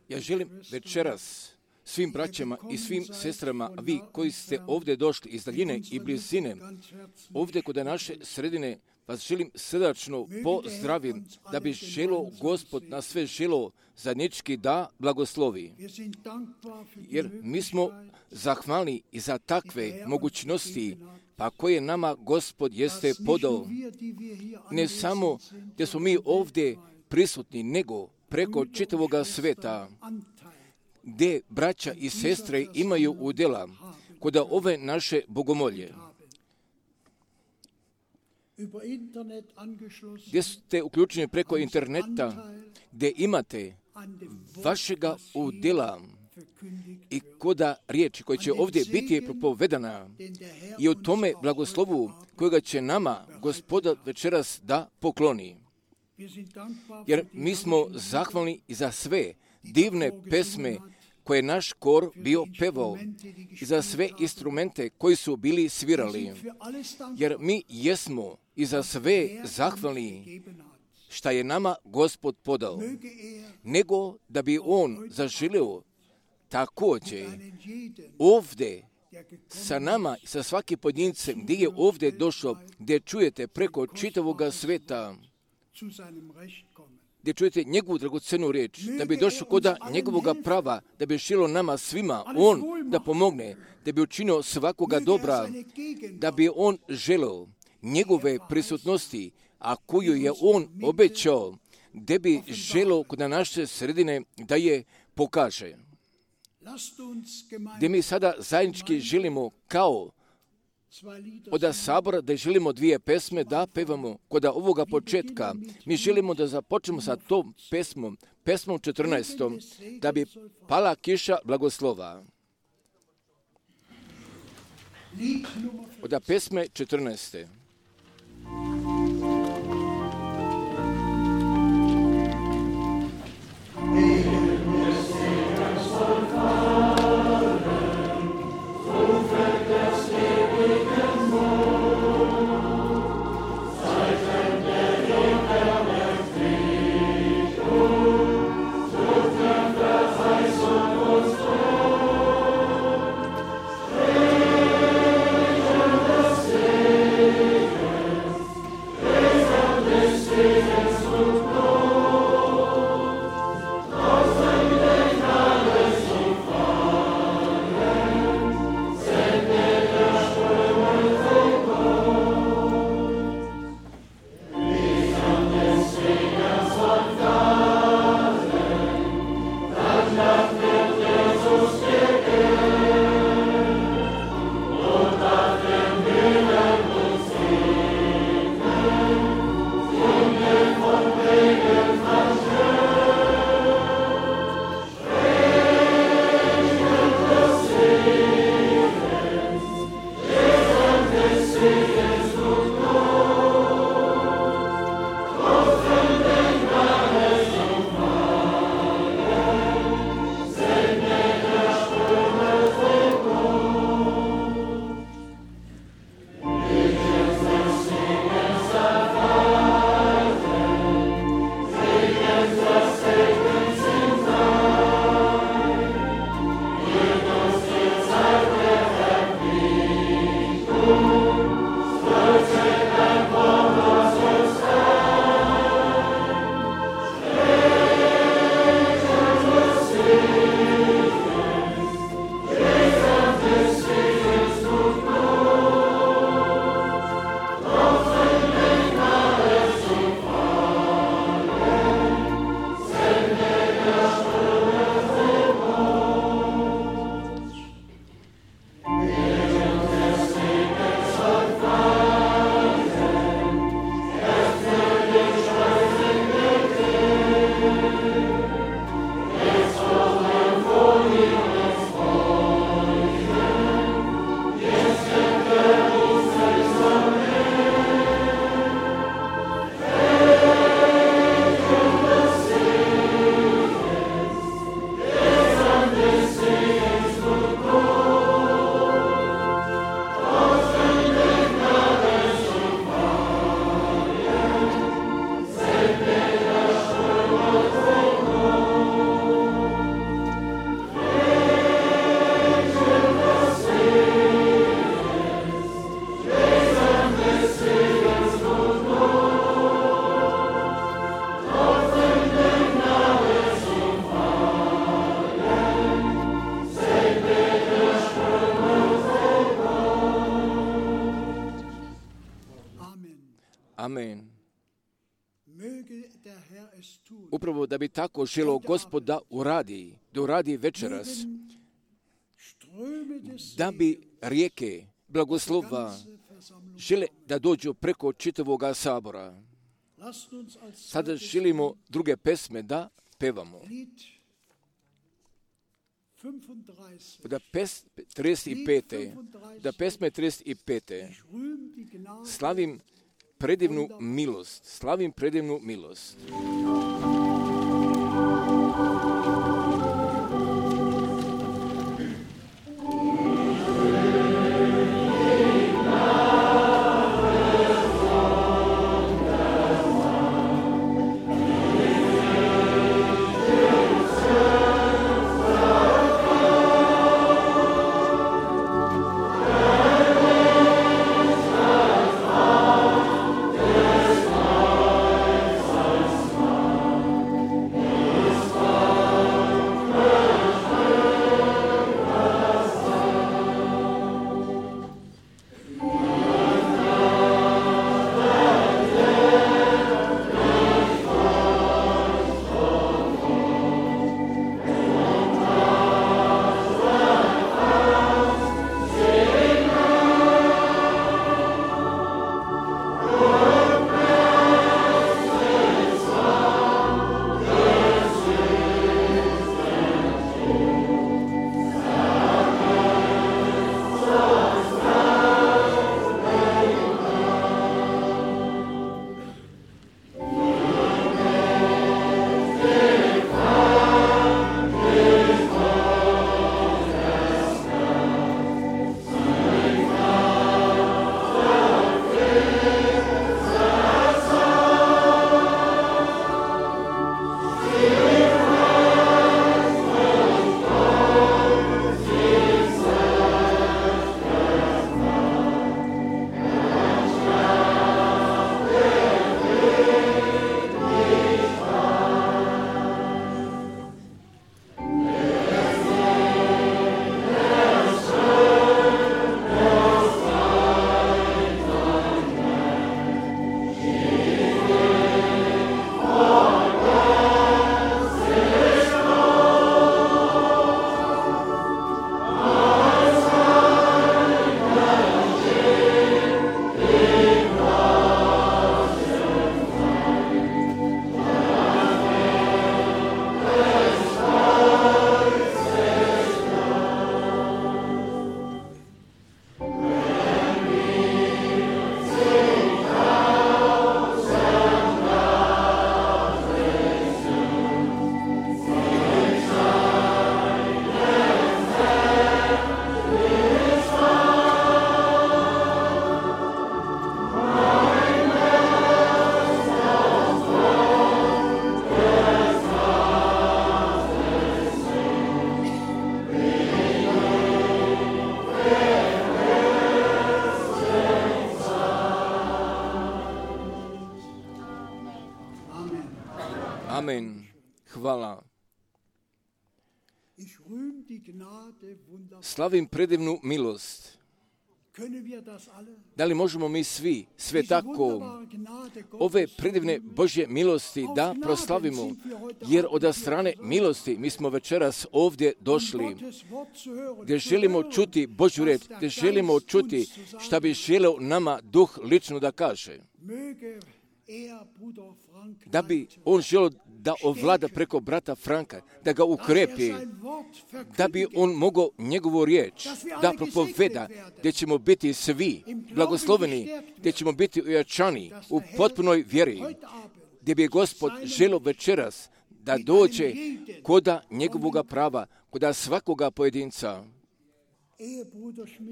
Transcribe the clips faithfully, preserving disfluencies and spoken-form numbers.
Ja želim večeras svim braćama i svim sestrama, a vi koji ste ovdje došli iz daljine i blizine, ovdje kod naše sredine, vas želim srdačno pozdravim, da bi želo Gospod na sve želo zajednički da blagoslovi. Jer mi smo zahvalni i za takve mogućnosti, pa koje nama Gospod jeste podao. Ne samo gdje smo mi ovdje prisutni, nego preko čitavoga sveta, gdje braća i sestre imaju udjela kod ove naše bogomolje. Gdje ste uključeni preko interneta, gdje imate vašega udjela i koda riječi koja će ovdje biti propovedana i o tome blagoslovu kojega će nama Gospoda večeras da pokloni. Jer mi smo zahvalni i za sve divne pesme koje je naš kor bio pevao i za sve instrumente koji su bili svirali. Jer mi jesmo i za sve zahvalni šta je nama Gospod podao. Nego da bi On zaželio također ovdje sa nama i sa svakim pojedincem gdje je ovdje došao, gdje čujete preko čitavoga sveta, gdje čujete njegovu dragocenu riječ, da bi došao koda njegovoga prava, da bi šilo nama svima, on da pomogne, da bi učinio svakoga dobra, da bi on želeo njegove prisutnosti, a koju je on obećao, da bi želeo kod naše sredine da je pokaže. Gdje mi sada zajednički želimo kao od sabora da želimo dvije pesme da pevamo kod ovoga početka. Mi želimo da započnemo sa tom pesmom, pesmom četrnaestom, da bi pala kiša blagoslova. Od pesme četrnaeste. Thank you. Amen. Upravo da bi tako želo Gospod da uradi, da uradi večeras, da bi rijeke blagoslova žele da dođu preko čitavoga sabora. Sada želimo druge pesme da pevamo. Da pes trideset pet. Da pesme trideset pet. Slavim predivnu milost. Slavim predivnu milost. Amen. Hvala. Slavim predivnu milost. Da li možemo mi svi, sve tako, ove predivne Božje milosti da proslavimo, jer od strane milosti mi smo večeras ovdje došli, gdje želimo čuti Božju riječ, gdje želimo čuti šta bi želeo nama Duh lično da kaže. Da bi on želio da ovlada preko brata Franka, da ga ukrepi, da bi on mogao njegovu riječ da propoveda, gdje ćemo biti svi blagosloveni, gdje ćemo biti ojačani u potpunoj vjeri, gdje bi Gospod želio večeras da dođe koda njegovoga prava, koda svakoga pojedinca.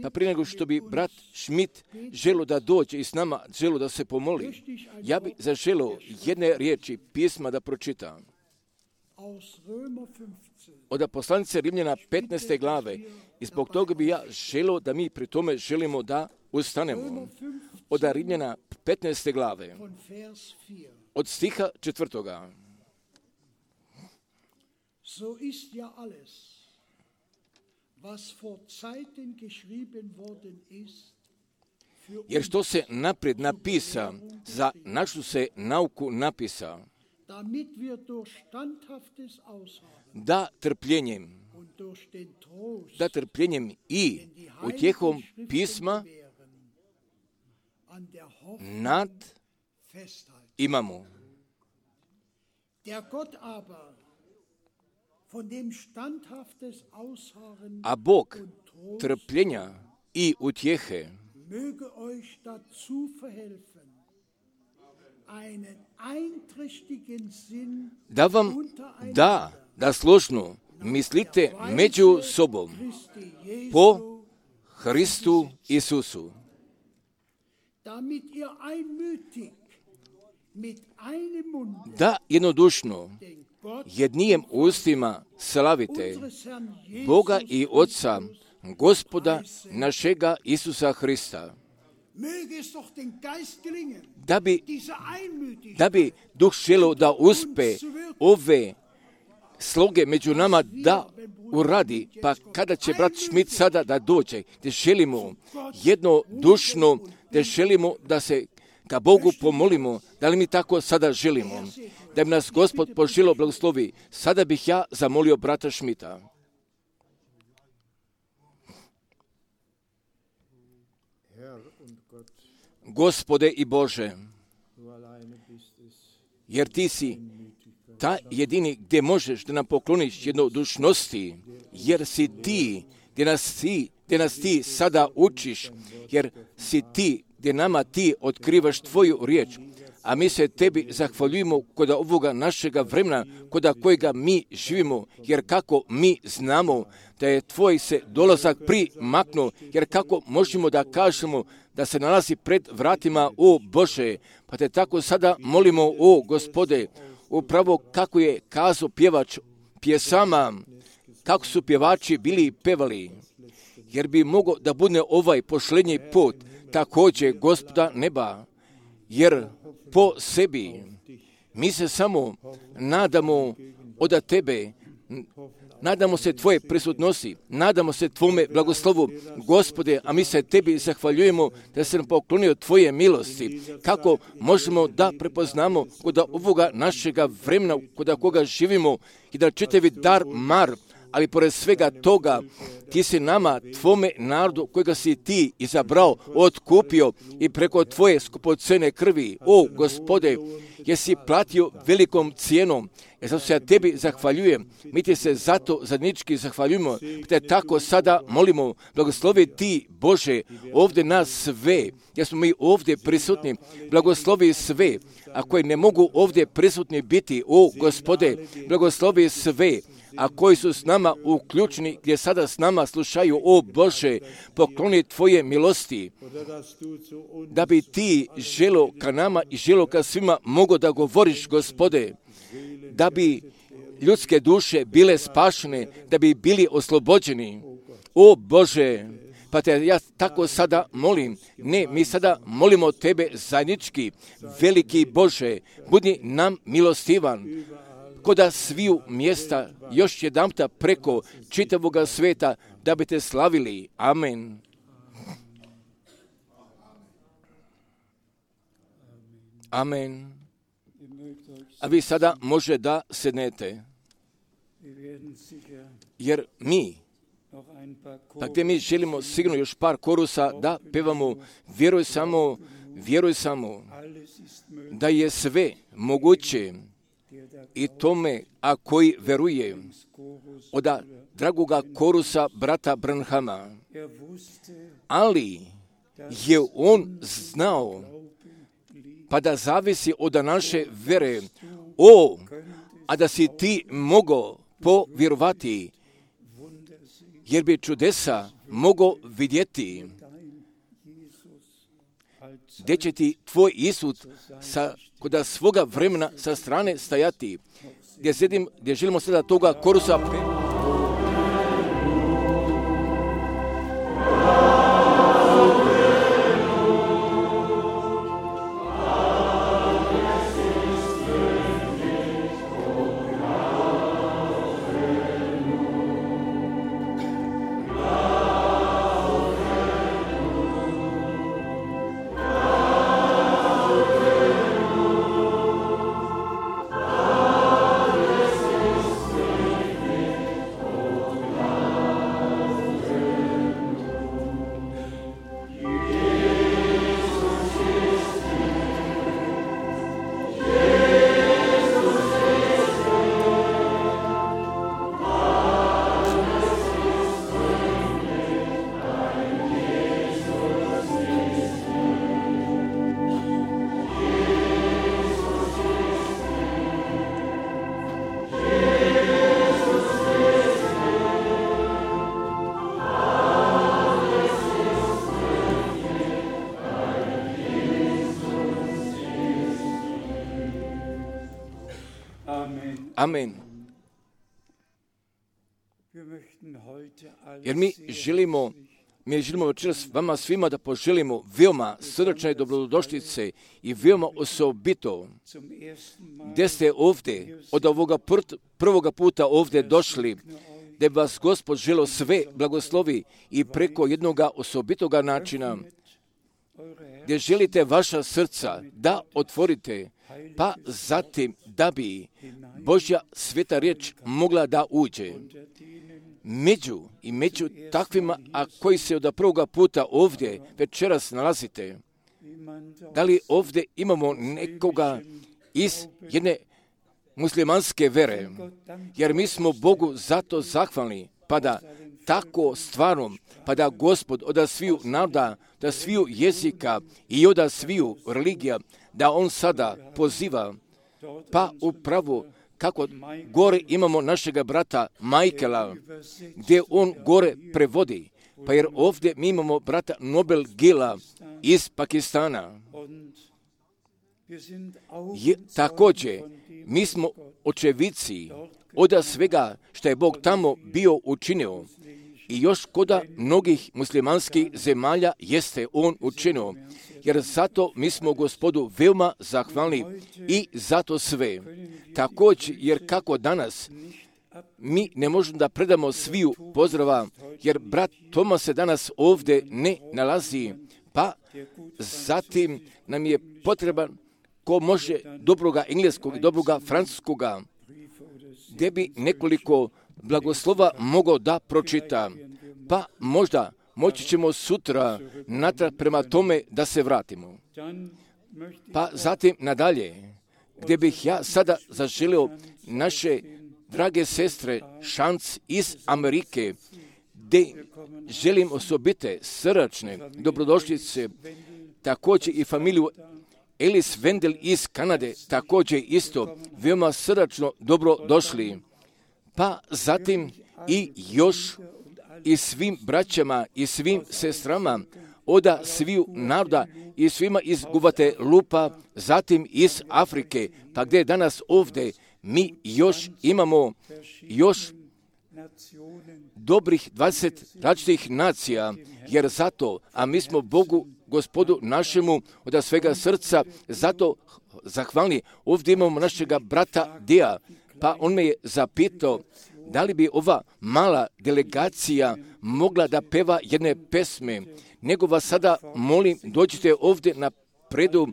Pa prije nego što bi brat Schmidt želio da dođe i s nama želio da se pomoli, ja bi zaželio jedne riječi pisma da pročitam. Od poslanice Rimljana petnaeste glave, i zbog toga bi ja želio da mi pri tome želimo da ustanemo. Od Rimljana petnaeste glave, od stiha četvrtoga. So ist ja alles, was vor Zeiten geschrieben worden ist, jer što se naprijed napisa, za našu se nauku napisa, damit wir durch standhaftes Ausharren da trpljenjem, und durch den Trost, da trpljenjem i utjehom pisma an der Hoffnung nad festhalten. imamo. Der Gott aber, von dem standhaftes Ausharren A Bog und Trost trpljenja i utjehe möge euch dazu verhelfen, einen einträchtigen Sinn da vam untereinander da, da složno mislite među sobom Christi Jesu, po Hristu Isusu, damit ihr einmütig mit einem Munde da jednodušno den Gott jednijem ustima slavite unseres Herrn Jesus Boga i Otca, Gospoda našega Isusa Hrista, möge es doch den Geist gelingen, da bi, diese Einmütigkeit da bi Duh želo da uspe ove sloge među nama da uradi, pa kada će brat Schmidt sada da dođe, da želimo jednodušno, da želimo da se ka Bogu pomolimo, da li mi tako sada želimo, da bi nas Gospod poželo blagoslovi. Sada bih ja zamolio brata Schmidta. Gospode i Bože, jer ti si ta jedini gdje možeš da nam pokloniš jednodušnosti, jer si ti gdje nas ti, gdje nas ti sada učiš, jer si ti gdje nama ti otkrivaš tvoju riječ, a mi se tebi zahvaljujemo kod ovoga našega vremena, kod kojega mi živimo, jer kako mi znamo da je tvoj se dolazak primaknuo, jer kako možemo da kažemo da se nalazi pred vratima, o Bože, pa te tako sada molimo, o Gospode, upravo kako je kazao pjevač pjesama, kako su pjevači bili pevali, jer bi mogao da bude ovaj posljednji put također Gospoda neba, jer po sebi mi se samo nadamo od tebe, nadamo se tvoje prisutnosti, nadamo se tvome blagoslovu, Gospode, a mi se tebi zahvaljujemo da se nam poklonio tvoje milosti. Kako možemo da prepoznamo kod ovoga našega vremena, kod koga živimo i da čitavi dar mar, ali pored svega toga ti si nama, tvome narodu kojega si ti izabrao, otkupio i preko tvoje skupocene krvi, o Gospode, jesi platio velikom cijenom. Ja zato se ja tebi zahvaljujem, mi ti se zato zadnički zahvaljujemo, te tako sada molimo, blagoslovi ti Bože, ovdje nas sve, jer smo mi ovdje prisutni, blagoslovi sve, a koji ne mogu ovdje prisutni biti, o Gospode, blagoslovi sve, a koji su s nama uključeni, gdje sada s nama slušaju, o Bože, pokloni tvoje milosti, da bi ti želo ka nama i želo ka svima mogo da govoriš, Gospode, da bi ljudske duše bile spašene, da bi bili oslobođeni. O Bože, pa te ja tako sada molim, ne, mi sada molimo tebe zajednički, veliki Bože, budi nam milostivan, koda sviju mjesta još jedanputa preko čitavoga sveta, da bi te slavili. Amen. Amen. A vi sada može da sednete, jer mi, pa gdje mi želimo sigurno još par korusa da pevamo, vjeruj samo, vjeruj samo, da je sve moguće i tome, a koji veruje, od dragoga korusa brata Branhama, ali je on znao, pa da zavisi od naše vere, o, a da si ti mogao povjerovati, jer bi čudesa mogao vidjeti, gdje će ti tvoj Isus sa, kod svoga vremena sa strane stajati, gdje, sedim, gdje želimo sada toga korusa. Amen. Jer mi želimo, mi želimo večeras vama svima da poželimo veoma srdačne dobrodošlice i veoma osobito gdje ste ovdje od ovoga prvoga puta ovdje došli, da bi vas Gospod želio sve blagoslovi i preko jednoga osobitoga načina gdje želite vaša srca da otvorite, pa zatim da bi Božja sveta riječ mogla da uđe među i među takvima, a koji se od prvoga puta ovdje večeras nalazite. Da li ovdje imamo nekoga iz jedne muslimanske vere, jer mi smo Bogu zato zahvalni, pa da tako stvarno, pa da Gospod od sviju naroda, da sviju jezika i od sviju religija, da On sada poziva, pa upravo kako gore imamo našega brata Michaela, gdje on gore prevodi, pa jer ovdje mi imamo brata Nobel Gila iz Pakistana. Je, također, mi smo očevici od svega što je Bog tamo bio učinio i još koda mnogih muslimanskih zemalja jeste On učinio, jer zato mi smo Gospodu veoma zahvalni i zato sve. Također, jer kako danas mi ne možemo da predamo sviju pozdrava, jer brat Toma se danas ovdje ne nalazi, pa zatim nam je potreban ko može dobroga engleskog i dobroga francuskoga, gdje bi nekoliko blagoslova mogao da pročita, pa možda moći ćemo sutra natrag prema tome da se vratimo. Pa zatim nadalje, gdje bih ja sada zaželio naše drage sestre Šanc iz Amerike, gdje želim osobite srdačne dobrodošlice, također i familiju Elis Wendel iz Kanade, također isto veoma srdačno dobro došli. Pa zatim i još i svim braćama i svim sestrama oda sviju naroda i svima iz Guatelupa, zatim iz Afrike, pa gdje danas ovdje mi još imamo još dobrih dvadeset različitih nacija, jer zato, a mi smo Bogu, Gospodu našemu od svega srca, zato zahvalni. Ovdje imamo našega brata Dija, pa on me je zapitao da li bi ova mala delegacija mogla da peva jedne pesme, nego vas sada molim, dođite ovdje na predu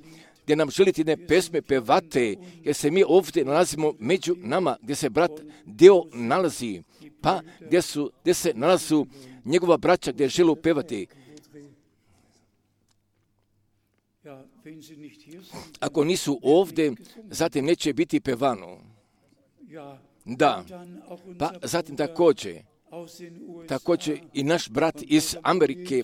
gdje nam želite jedne pesme pevate, jer se mi ovdje nalazimo među nama, gdje se brat Deo nalazi, pa gdje, su, gdje se nalazu njegova braća gdje želu pevati. Ako nisu ovdje, zatim neće biti pevano. Da, pa zatim također, također i naš brat iz Amerike,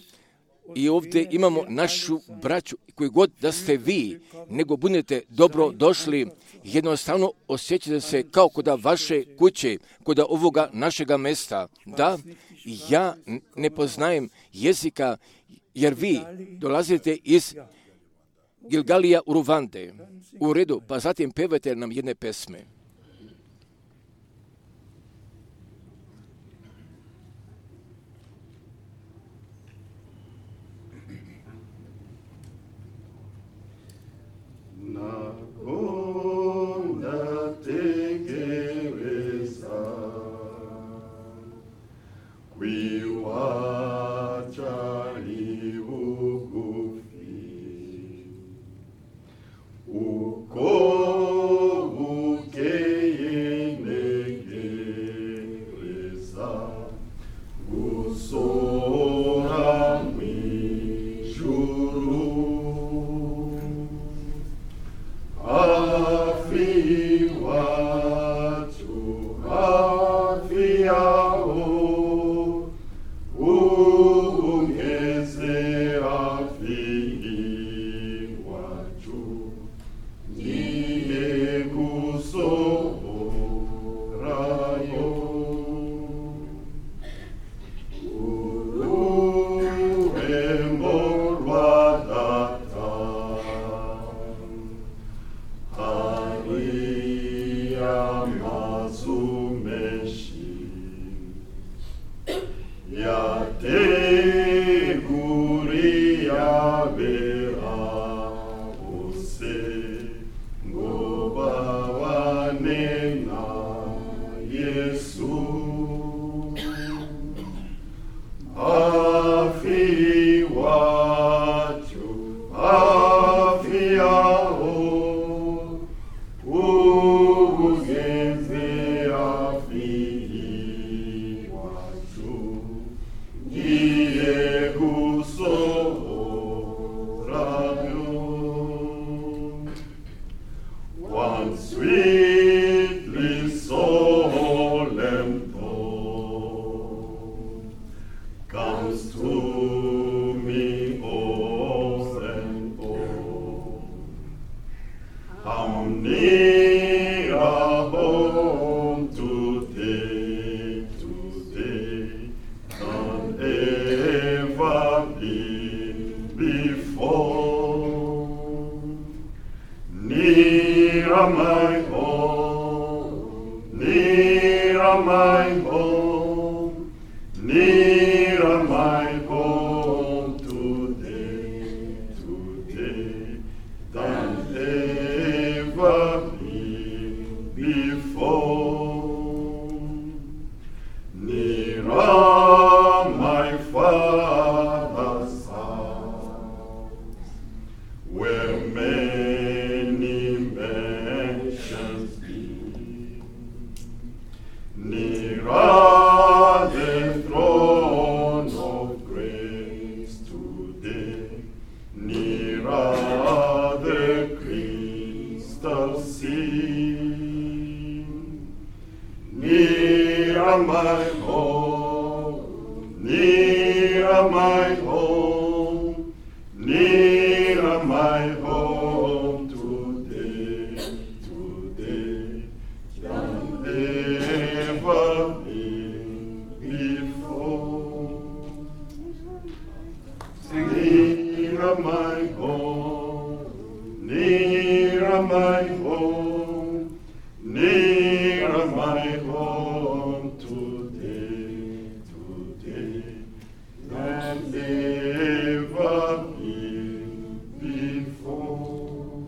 i ovdje imamo našu braću, koji god da ste vi, nego budete dobro došli, jednostavno osjećate se kao kod vaše kuće, kod ovoga našega mesta. Da, ja ne poznajem jezika, jer vi dolazite iz Gilgalija u Ruvande. U redu, pa zatim pevajte nam jedne pesme. We and sweetly solemn tone comes to me o'er and o'er. How near a home today, today, than ever been before. Nearer my home, nearer my home, nearer my home today, today, than ever been before. Nearer my Father's house, where many mansions be. Nearer the throne of grace today, nearer the crystal sea. Nearer my home, nearer my home, nearer my home today, today, than ever been before. Nearer my home, nearer my home, nearer my home today, today, than ever been before.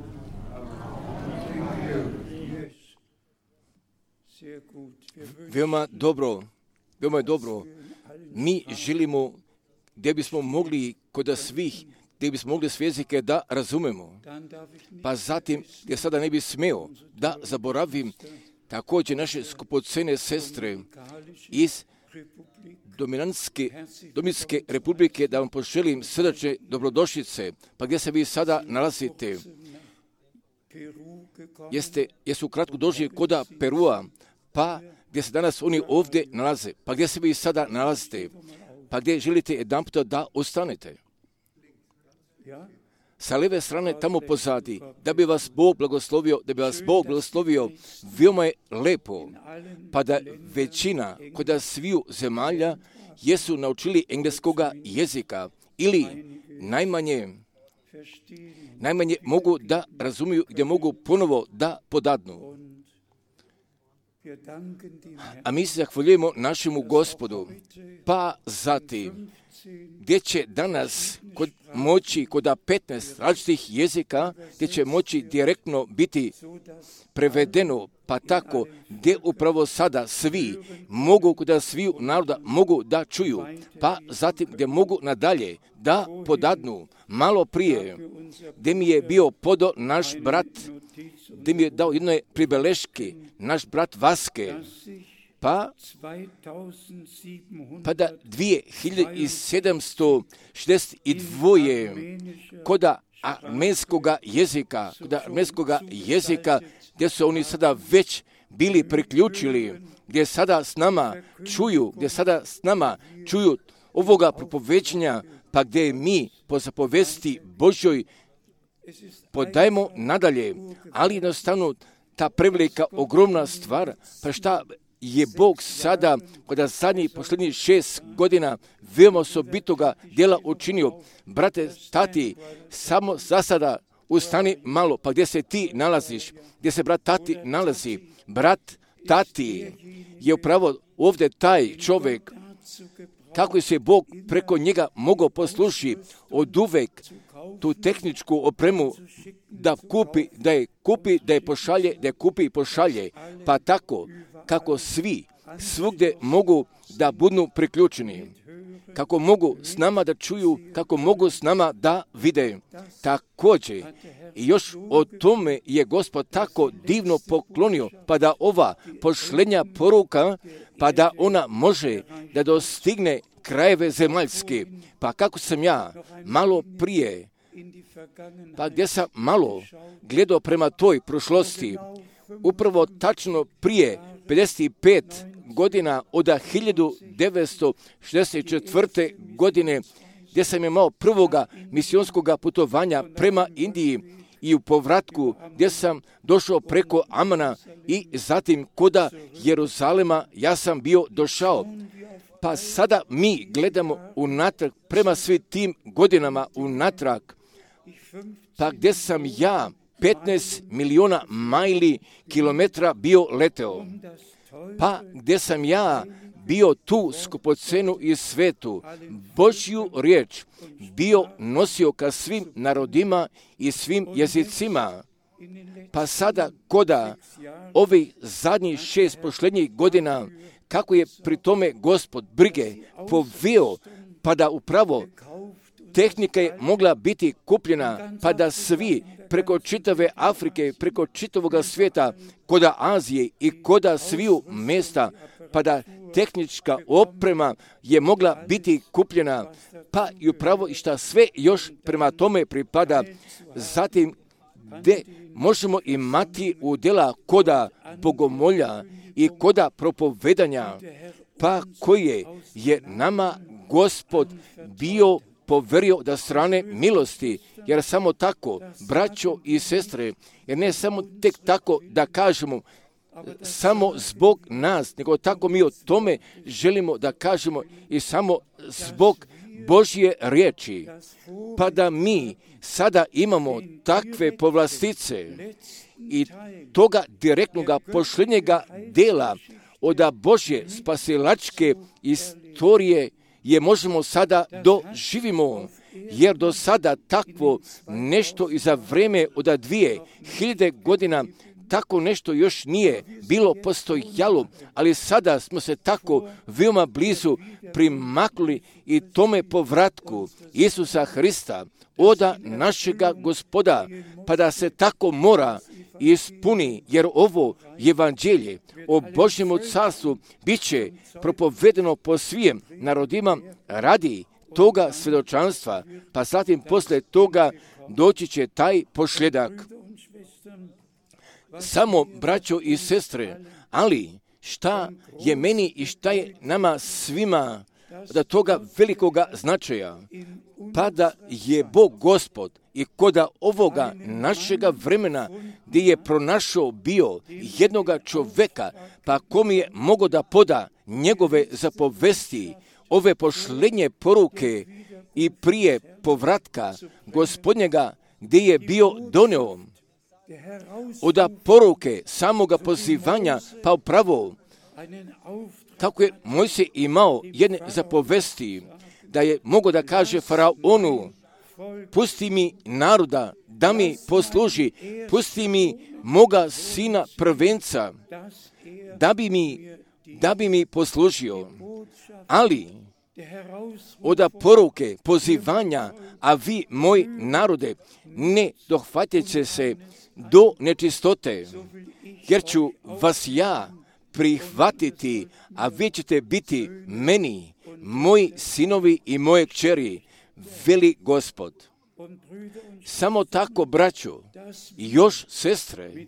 Veoma dobro, veoma je dobro. Mi želimo gdje bismo mogli kod svih, gdje bismo mogli sve jezike da razumemo. Pa zatim, gdje sada ne bi smeo da zaboravim također naše skupocene sestre iz Dominantske, Dominske republike, da vam poželim srdačne dobrodošlice. Pa gdje se vi sada nalazite? Jeste, jesu kratko došli koda Perua, pa gdje se danas oni ovdje nalaze? Pa gdje se vi sada nalazite? Pa gdje želite jedan puta da ostanete? Sa lijeve strane tamo pozadi, da bi vas Bog blagoslovio, da bi vas Bog blagoslovio, veoma je lepo, pa da većina kod sviju zemalja jesu naučili engleskoga jezika ili najmanje, najmanje mogu da razumiju, gdje mogu ponovo da podadnu. A mi se zahvaljujemo našemu Gospodu, pa zatim, gdje će danas kod moći kod petnaest različitih jezika, gdje će moći direktno biti prevedeno, pa tako gdje upravo sada svi mogu kod sviju naroda mogu da čuju, pa zatim gdje mogu nadalje da podadnu. Malo prije, gdje mi je bio podo naš brat, gdje mi je dao jedne pribeleške, naš brat Vaske, pa, pa da dvije hiljade sedamsto šezdeset dva koda armenskoga jezika, koda armenskoga jezika, gdje su oni sada već bili priključili, gdje sada s nama čuju, gdje sada s nama čuju ovoga propoveđenja, pa gdje mi po zapovesti Božjoj podajemo nadalje, ali jednostavno ta prevelika, ogromna stvar, pa šta je Bog sada, kada zadnjih posljednjih šest godina veoma osobitoga djela učinio. Brate, tati, samo za sada ustani malo, pa gdje se ti nalaziš, gdje se brat tati nalazi, brat tati je upravo ovdje taj čovjek, kako se Bog preko njega mogao poslušiti od uvek tu tehničku opremu da kupi, da je kupi, da je pošalje, da je kupi i pošalje, pa tako kako svi svugdje mogu da budu priključeni, kako mogu s nama da čuju, kako mogu s nama da vide. Također, i još o tome je Gospod tako divno poklonio, pa da ova pošlenja poruka, pa da ona može da dostigne krajeve zemaljske. Pa kako sam ja malo prije, pa gdje sam malo gledao prema toj prošlosti, upravo tačno prije pedeset pet godina od hiljadu devetsto šezdeset četvrte. godine, gdje sam imao prvoga misionskog putovanja prema Indiji i u povratku gdje sam došao preko Amana i zatim koda Jeruzalema ja sam bio došao. Pa sada mi gledamo unatrag prema svim tim godinama unatrag, pa gdje sam ja petnaest miliona majli kilometra bio leteo, pa gdje sam ja bio tu skupocenu i svetu, Božju riječ bio nosio ka svim narodima i svim jezicima. Pa sada koda ovih zadnjih šest posljednjih godina, kako je pri tome Gospod brige poveo, pa da upravo tehnika je mogla biti kupljena, pa da svi preko čitave Afrike, preko čitavoga svijeta, koda Azije i koda sviju mjesta, pa da tehnička oprema je mogla biti kupljena, pa i upravo i šta sve još prema tome pripada. Zatim, gdje možemo imati udjela koda bogomolja i koda propovedanja, pa koje je nama Gospod bio poverio da strane milosti, jer samo tako, braćo i sestre, jer ne samo tek tako da kažemo, samo zbog nas, nego tako mi o tome želimo da kažemo i samo zbog Božje riječi, pa da mi sada imamo takve povlastice i toga direktnoga posljednjega dela od Božje spasilačke istorije je možemo sada doživimo, jer do sada takvo nešto i za vrijeme od dvije hiljade godina tako nešto još nije bilo postojalo, ali sada smo se tako veoma blizu primaknuli i tome povratku Isusa Hrista, oda našega Gospoda, pa da se tako mora ispuni, jer ovo evanđelje o Božjemu carstvu bit će propovedeno po svim narodima radi toga svjedočanstva, pa zatim poslije toga doći će taj posljedak. Samo, braćo i sestre, ali šta je meni i šta je nama svima da toga velikoga značaja, pa da je Bog Gospod i koda ovoga našega vremena gdje je pronašao bio jednoga čoveka, pa kom je mogo da poda njegove zapovesti, ove posljednje poruke i prije povratka Gospodnjega gdje je bio doneo od poruke samoga pozivanja, pa upravo kako je Mojsije imao jedne zapovesti, da je mogo da kaže faraonu, pusti mi naroda da mi posluži, pusti mi moga sina prvenca da bi mi, da bi mi poslužio. Ali od poruke pozivanja, a vi, moj narode, ne dohvatite se do nečistote, jer ću vas ja prihvatiti, a vi ćete biti meni, moji sinovi i moje kćeri, veli Gospod. Samo tako, braćo, još sestre,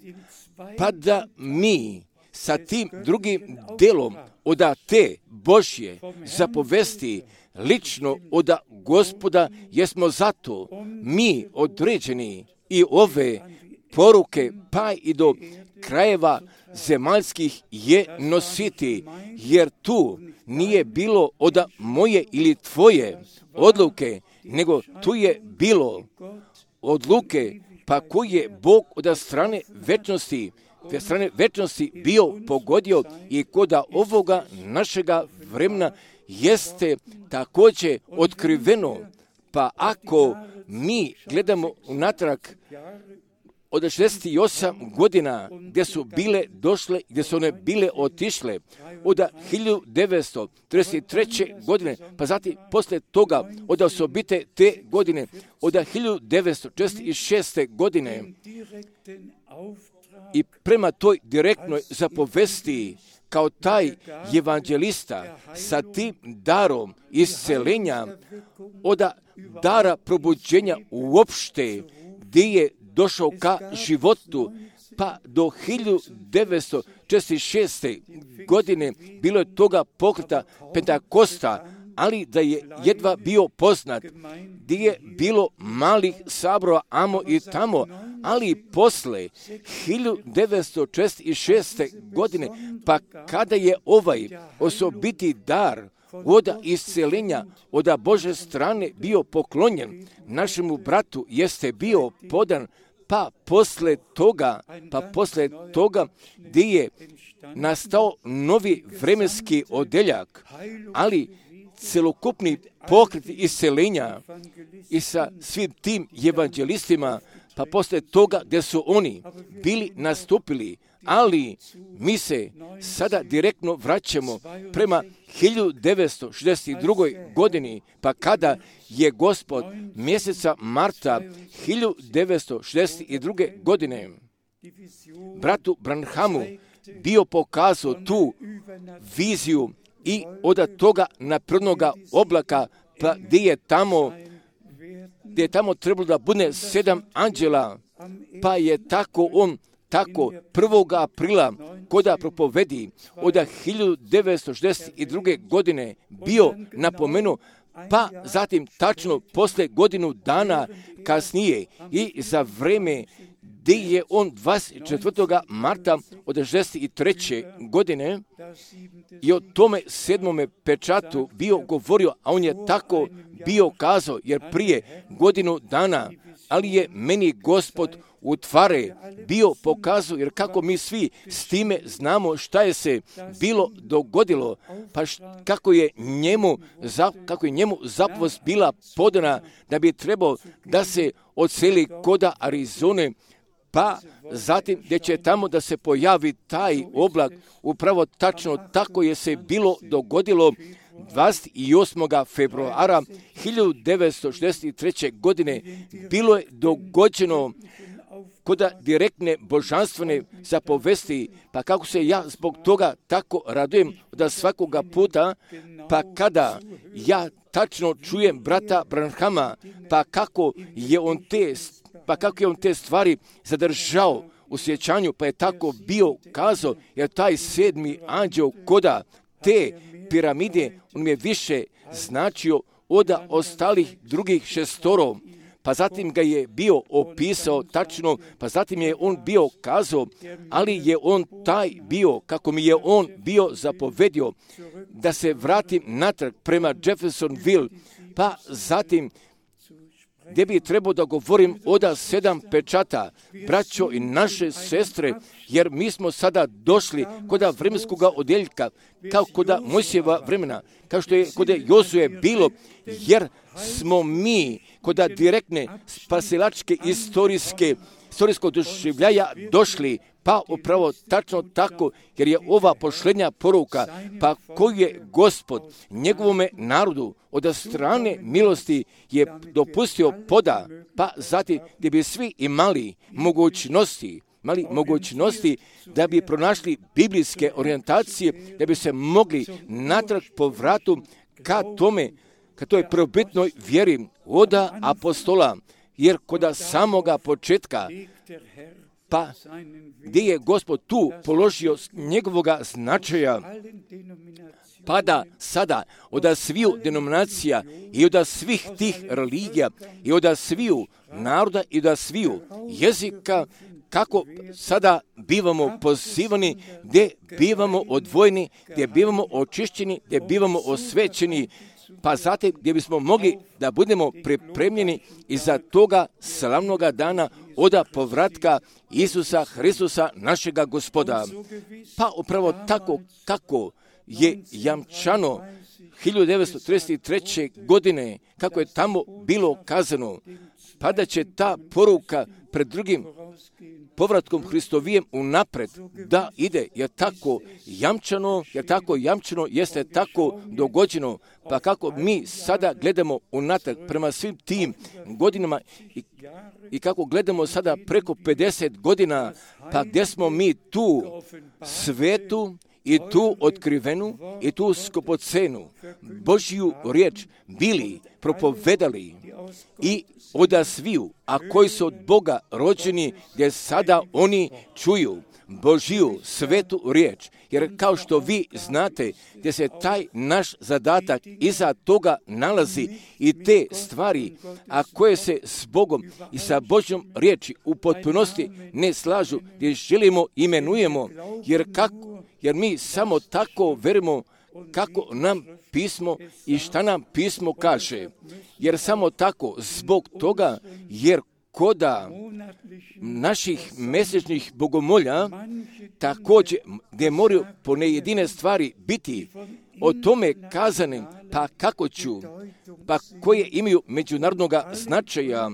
pa da mi sa tim drugim delom od te Božje zapovesti lično od Gospoda, jesmo zato mi određeni i ove poruke pa i do krajeva zemaljskih je nositi, jer tu nije bilo od moje ili tvoje odluke, nego tu je bilo odluke pa koji je Bog od strane večnosti, od strane večnosti bio pogodio i koda ovoga našega vremena jeste također otkriveno. Pa ako mi gledamo unatrag od šezdeset osam godina gdje su bile došle, gdje su one bile otišle, od hiljadu devetsto trideset treće. godine, pa zatim poslije toga od osobite te godine, od hiljadu devetsto četrdeset šeste. godine i prema toj direktnoj zapovesti kao taj evanđelista sa tim darom iscelenja, od dara probuđenja uopšte, gdje je došao ka životu, pa do hiljadu devetsto četrdeset šeste. godine bilo je toga pokreta Pentakosta, ali da je jedva bio poznat, gdje je bilo malih sabrova amo i tamo, ali posle hiljadu devetsto četrdeset šeste. godine, pa kada je ovaj osobiti dar od isceljenja od Bože strane bio poklonjen našemu bratu, jeste bio podan, pa posle toga, pa posle toga gdje je nastao novi vremenski odeljak, ali celokupni pokret isceljenja i sa svim tim evanđelistima, pa posle toga gdje su oni bili nastupili, ali mi se sada direktno vraćamo prema hiljadu devetsto šezdeset druge. godini, pa kada je Gospod mjeseca marta hiljadu devetsto šezdeset druge. godine bratu Branhamu bio pokazao tu viziju i od toga naprednoga oblaka, pa gdje je tamo, gdje je tamo trebalo da bude sedam anđela, pa je tako on tako prvog aprila koda propovedi od hiljadu devetsto šezdeset druge. godine bio napomenuo, pa zatim tačno posle godinu dana kasnije i za vreme gdje je on dvadeset četvrtog marta od šezdeset treće. godine i o tome sedmome pečatu bio govorio, a on je tako bio kazao, jer prije godinu dana, ali je meni Gospod u tvare bio pokazao, jer kako mi svi s time znamo šta je se bilo dogodilo, pa š, kako je njemu, za, kako je njemu zapovest bila podana da bi trebao da se odseli koda Arizone, pa zatim gdje će tamo da se pojavi taj oblak, upravo tačno tako je se bilo dogodilo dvadeset osmog februara hiljadu devetsto šezdeset treće. godine. Bilo je dogođeno koda direktne božanstvene zapovesti, pa kako se ja zbog toga tako radujem da svakoga puta, pa kada ja tačno čujem brata Branhama, pa kako je on te, pa kako je on te stvari zadržao u sjećanju, pa je tako bio kazao, jer taj sedmi anđeo koda te piramide, on mi je više značio od ostalih drugih šestoro. Pa zatim ga je bio opisao tačno, pa zatim je on bio kazao, ali je on taj bio, kako mi je on bio zapovedio, da se vratim natrag prema Jeffersonville, pa zatim gdje bi trebao da govorim od sedam pečata, braćo i naše sestre, jer mi smo sada došli kod vremenskog odeljka, kao kod Mojsijeva vremena, kao što je kod Jozue bilo, jer smo mi kod direktne spasilačke istorijske, istorijskog doživljaja došli, pa upravo tačno tako, jer je ova posljednja poruka, pa koju je Gospod njegovome narodu od strane milosti je dopustio poda, pa zatim gdje bi svi imali mogućnosti, mali mogućnosti da bi pronašli biblijske orijentacije, da bi se mogli natrag po vratu ka tome, ka toj prvobitnoj vjeri od apostola, jer kod samoga početka, pa gdje je Gospod tu položio njegovoga značaja, pa da sada od sviju denominacija i od svih tih religija i od sviju naroda i od sviju jezika, kako sada bivamo pozivani, gdje bivamo odvojeni, gdje bivamo očišćeni, gdje bivamo osvećeni, pa zatim gdje bismo mogli da budemo pripremljeni i za toga slavnoga dana od povratka Isusa Hristusa našega Gospoda. Pa upravo tako kako je jamčano hiljadu devetsto trideset treće. godine, kako je tamo bilo kazano, pa da će ta poruka pred drugim povratkom Hristovijem unapred da ide, jer tako jamčano, jer tako jamčano jeste tako dogođeno, pa kako mi sada gledamo unatrag prema svim tim godinama i, i kako gledamo sada preko pedeset godina, pa gdje smo mi tu svetu i tu otkrivenu i tu skupocenu Božju riječ bili propovedali i oda sviju, a koji su od Boga rođeni, gdje sada oni čuju Božju svetu riječ. Jer kao što vi znate, gdje se taj naš zadatak iza toga nalazi i te stvari, a koje se s Bogom i sa Božjom riječi u potpunosti ne slažu, gdje želimo, imenujemo, jer, kako, jer mi samo tako verimo kako nam pismo i šta nam pismo kaže. Jer samo tako, zbog toga, jer koda naših mjesečnih bogomolja također gdje moraju po nejedine stvari biti o tome kazanim, pa kako ću, pa koje imaju međunarodnog značaja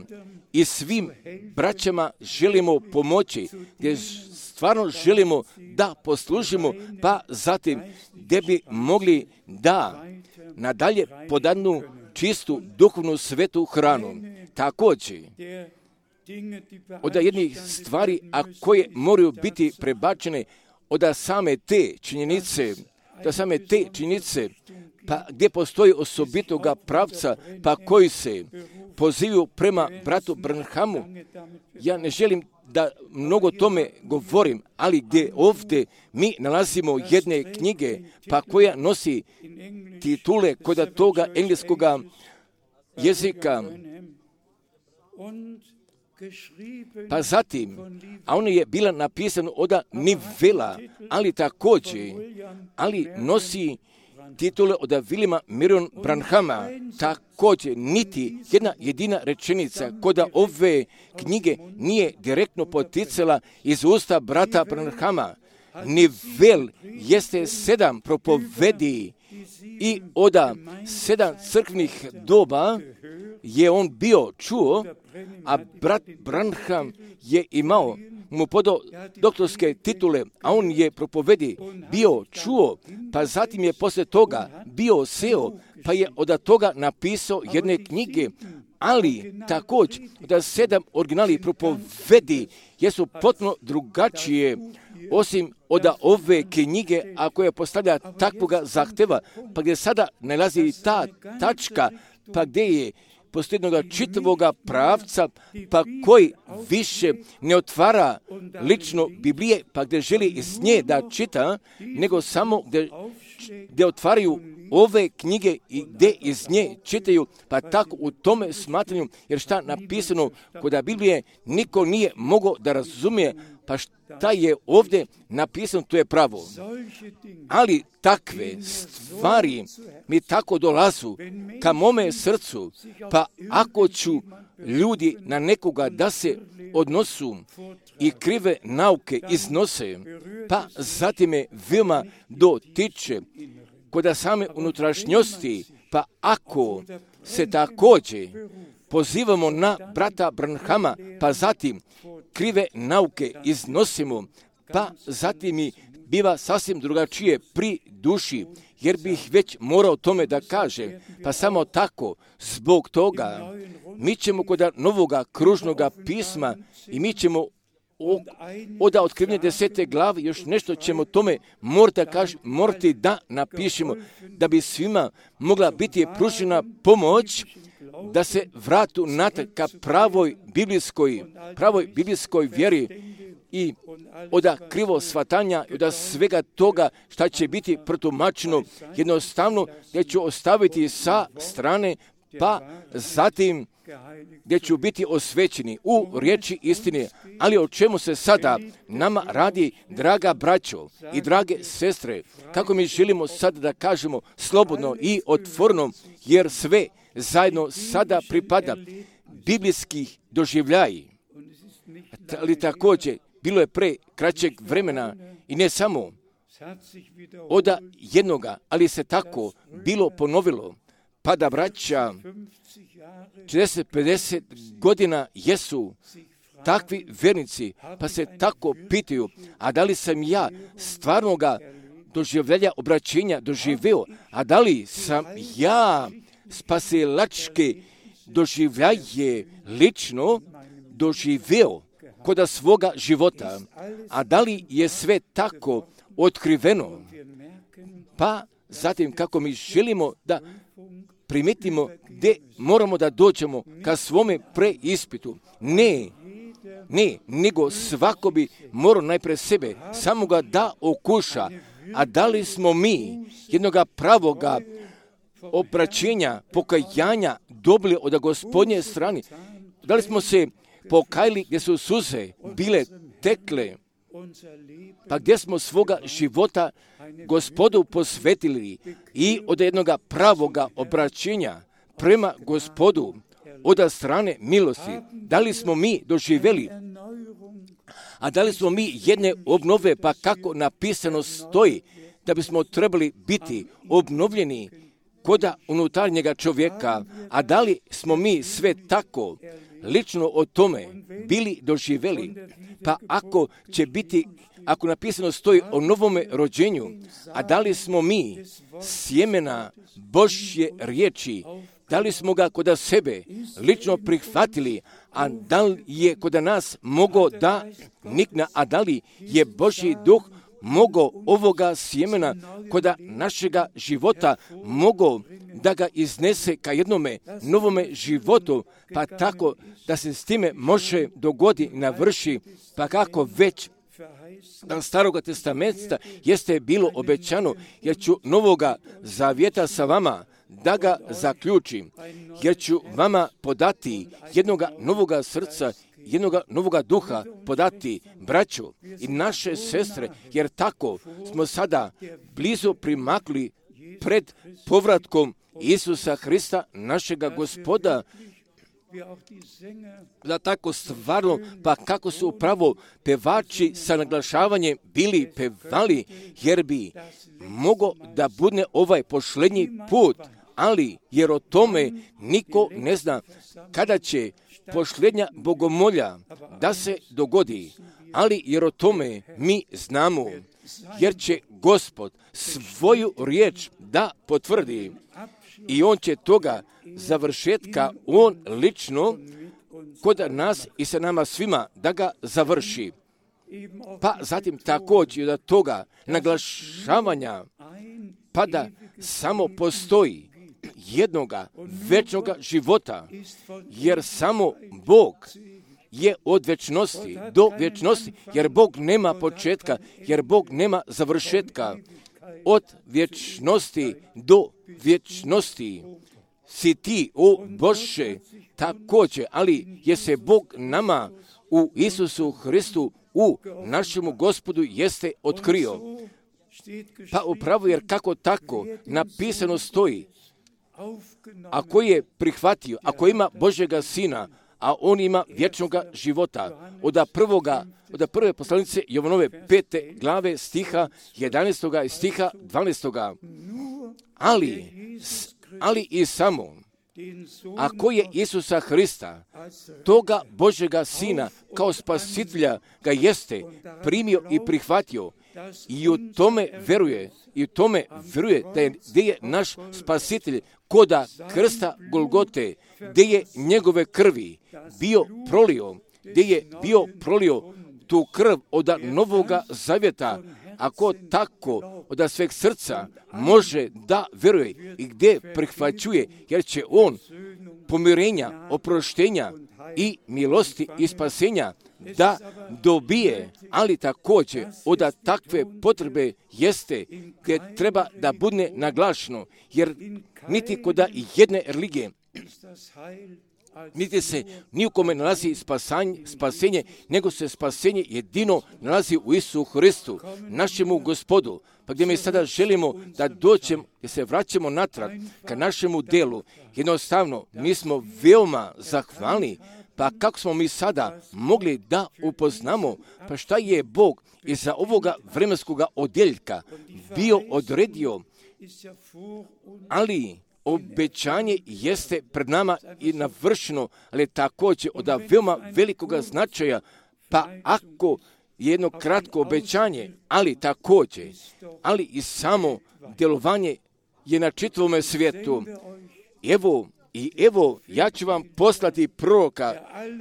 i svim braćama želimo pomoći, gdje stvarno želimo da poslužimo, pa zatim gdje bi mogli da nadalje podanu čistu duhovnu svetu hranu. Također, od jednih stvari, a koje moraju biti prebačene od same te činjenice, da same te činjenice, pa gdje postoji osobitoga pravca, pa koji se pozivaju prema bratu Branhamu. Ja ne želim da mnogo tome govorim, ali gdje ovdje mi nalazimo jedne knjige, pa koja nosi titule kod toga engleskoga jezika, pa zatim, a ona je bila napisana od Nivela, ali također, ali nosi titule od Williama Marion Branhama, također niti jedna jedina rečenica kod ove knjige nije direktno poticala iz usta brata Branhama. Nivel jeste sedam propovedi i od sedam crkvenih doba je on bio čuo, a brat Branham je imao mu podao doktorske titule, a on je propovedi bio čuo, pa zatim je posle toga bio seo, pa je od toga napisao jedne knjige, ali također da sedam originalnih propovedi jesu potpuno drugačije, osim od ove knjige, a koja postavlja takvoga zahteva, pa gdje sada nalazi ta tačka, pa gdje je posljednoga čitavoga pravca, pa koji više ne otvara lično Biblije, pa gdje želi iz nje da čita, nego samo gdje, gdje otvaraju ove knjige i gdje iz nje čitaju, pa tako u tome smatranju, jer šta napisano kod Biblije niko nije mogao da razumije, pa šta je ovdje napisano, to je pravo. Ali takve stvari mi tako dolazu ka mome srcu, pa ako ću ljudi na nekoga da se odnosu i krive nauke iznose, pa zatim me veoma dotiče kod same unutrašnjosti, pa ako se također pozivamo na brata Branhama, pa zatim krive nauke iznosimo, pa zatim mi biva sasvim drugačije pri duši, jer bih već morao tome da kažem, pa samo tako, zbog toga, mi ćemo kod novoga kružnoga pisma i mi ćemo od otkrivnje desete glave još nešto ćemo tome morati, kaž, morati da napišemo, da bi svima mogla biti pružena pomoć da se vratu natrag ka pravoj biblijskoj, pravoj biblijskoj vjeri i od krivo shvatanja i od svega toga šta će biti protumačeno jednostavno gdje ću ostaviti sa strane, pa zatim gdje ću biti osvećeni u riječi istine. Ali o čemu se sada nama radi, draga braćo i drage sestre, kako mi želimo sada da kažemo slobodno i otvoreno, jer sve zajedno sada pripada biblijskih doživljaji. Ali također, bilo je pre kraćeg vremena i ne samo od jednoga, ali se tako bilo ponovilo, pa da braća četrdeset pedeset godina jesu takvi vernici, pa se tako pitaju, a da li sam ja stvarnoga doživljalja obraćenja doživeo, a da li sam ja spasilačke doživljaje lično doživeo kod svoga života, a da li je sve tako otkriveno. Pa zatim kako mi želimo da primetimo gdje moramo da dođemo ka svome preispitu. Ne, ne, nego svako bi morao najpre sebe samoga da okuša. A da li smo mi jednoga pravoga opraćenja, pokajanja dobili od Gospodnje strane? Da li smo se pokajali gdje su suze bile tekle? Pa gdje smo svoga života Gospodu posvetili i od jednoga pravoga obraćenja prema Gospodu od strane milosti? Da li smo mi doživjeli? A da li smo mi jedne obnove, pa kako napisano stoji, da bismo trebali biti obnovljeni koda unutarnjega čovjeka? A da li smo mi sve tako lično o tome bili doživjeli? Pa ako će biti, ako napisano stoji o novome rođenju, a da li smo mi sjemena Božje riječi, da li smo ga kod sebe lično prihvatili, a da li je kod nas mogao da nikne, a da li je Božji duh mogao ovoga sjemena kod našega života, mogao da ga iznese ka jednome novome životu, pa tako da se s time može dogodi i navrši, pa kako već da Staroga testamenta jeste bilo obećano, jer ću novoga zavjeta sa vama da ga zaključim, jer ću vama podati jednoga novoga srca, jednoga novoga duha podati, braćo i naše sestre, jer tako smo sada blizu primakli pred povratkom Isusa Hrista, našega Gospoda. Da tako stvarno, pa kako su upravo pevači sa naglašavanjem bili pevali, jer bi mogo da bude ovaj posljednji put, ali jer o tome niko ne zna kada će posljednja bogomolja da se dogodi, ali jer o tome mi znamo, jer će Gospod svoju riječ da potvrdi i on će toga završetka, on lično kod nas i sa nama svima da ga završi. Pa zatim također da toga naglašavanja pa da samo postoji jednoga večnoga života, jer samo Bog je od večnosti do večnosti, jer Bog nema početka, jer Bog nema završetka. Od vječnosti do vječnosti si ti, o Bože, također, ali je se Bog nama u Isusu Hristu, u našemu Gospodu jeste otkrio. Pa upravo jer kako tako napisano stoji, ako je prihvatio, ako ima Božjega Sina, a on ima vječnoga života, od prvoga, od prve poslanice Jovanove pete glave stiha jedanaestoga i stiha dvanaestoga. Ali, ali i samo, ako je Isusa Hrista, toga Božjega Sina, kao spasitelja ga jeste primio i prihvatio, i u tome veruje, i u tome veruje da je, gdje je naš spasitelj koda krsta Golgote, gdje je njegove krvi bio prolio, gdje je bio prolio tu krv od novoga zavjeta, ako tako od sveg srca može da veruje i gdje prihvaćuje, jer će on pomirenja, oproštenja i milosti i spasenja da dobije, ali također od takve potrebe jeste gdje treba da bude naglašeno, jer niti kod jedne religije niti se ni u kome nalazi spasenje, nego se spasenje jedino nalazi u Isusu Hristu, našemu Gospodu. Pa gdje mi sada želimo da dođemo, gdje se vraćamo natrag ka našemu delu, jednostavno mi smo veoma zahvalni. Pa kako smo mi sada mogli da upoznamo, pa šta je Bog iza ovoga vremenskoga odjeljka bio odredio, ali obećanje jeste pred nama i navršeno, ali također od veoma velikoga značaja, pa ako jedno kratko obećanje, ali također, ali i samo djelovanje je na čitavome svijetu. Evo, I evo, ja ću vam poslati proroka,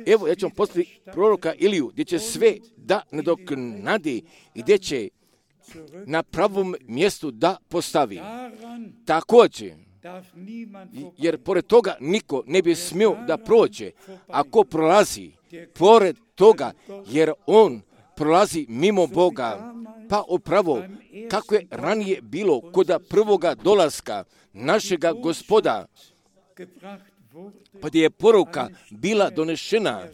evo, ja ću vam poslati proroka Iliju, gdje će sve da nadoknadi i gdje će na pravom mjestu da postavi. Također, jer pored toga niko ne bi smio da prođe, ako prolazi pored toga, jer on prolazi mimo Boga. Pa upravo, kako je ranije bilo kod prvoga dolaska našega Gospoda, pa gdje je poruka bila donešena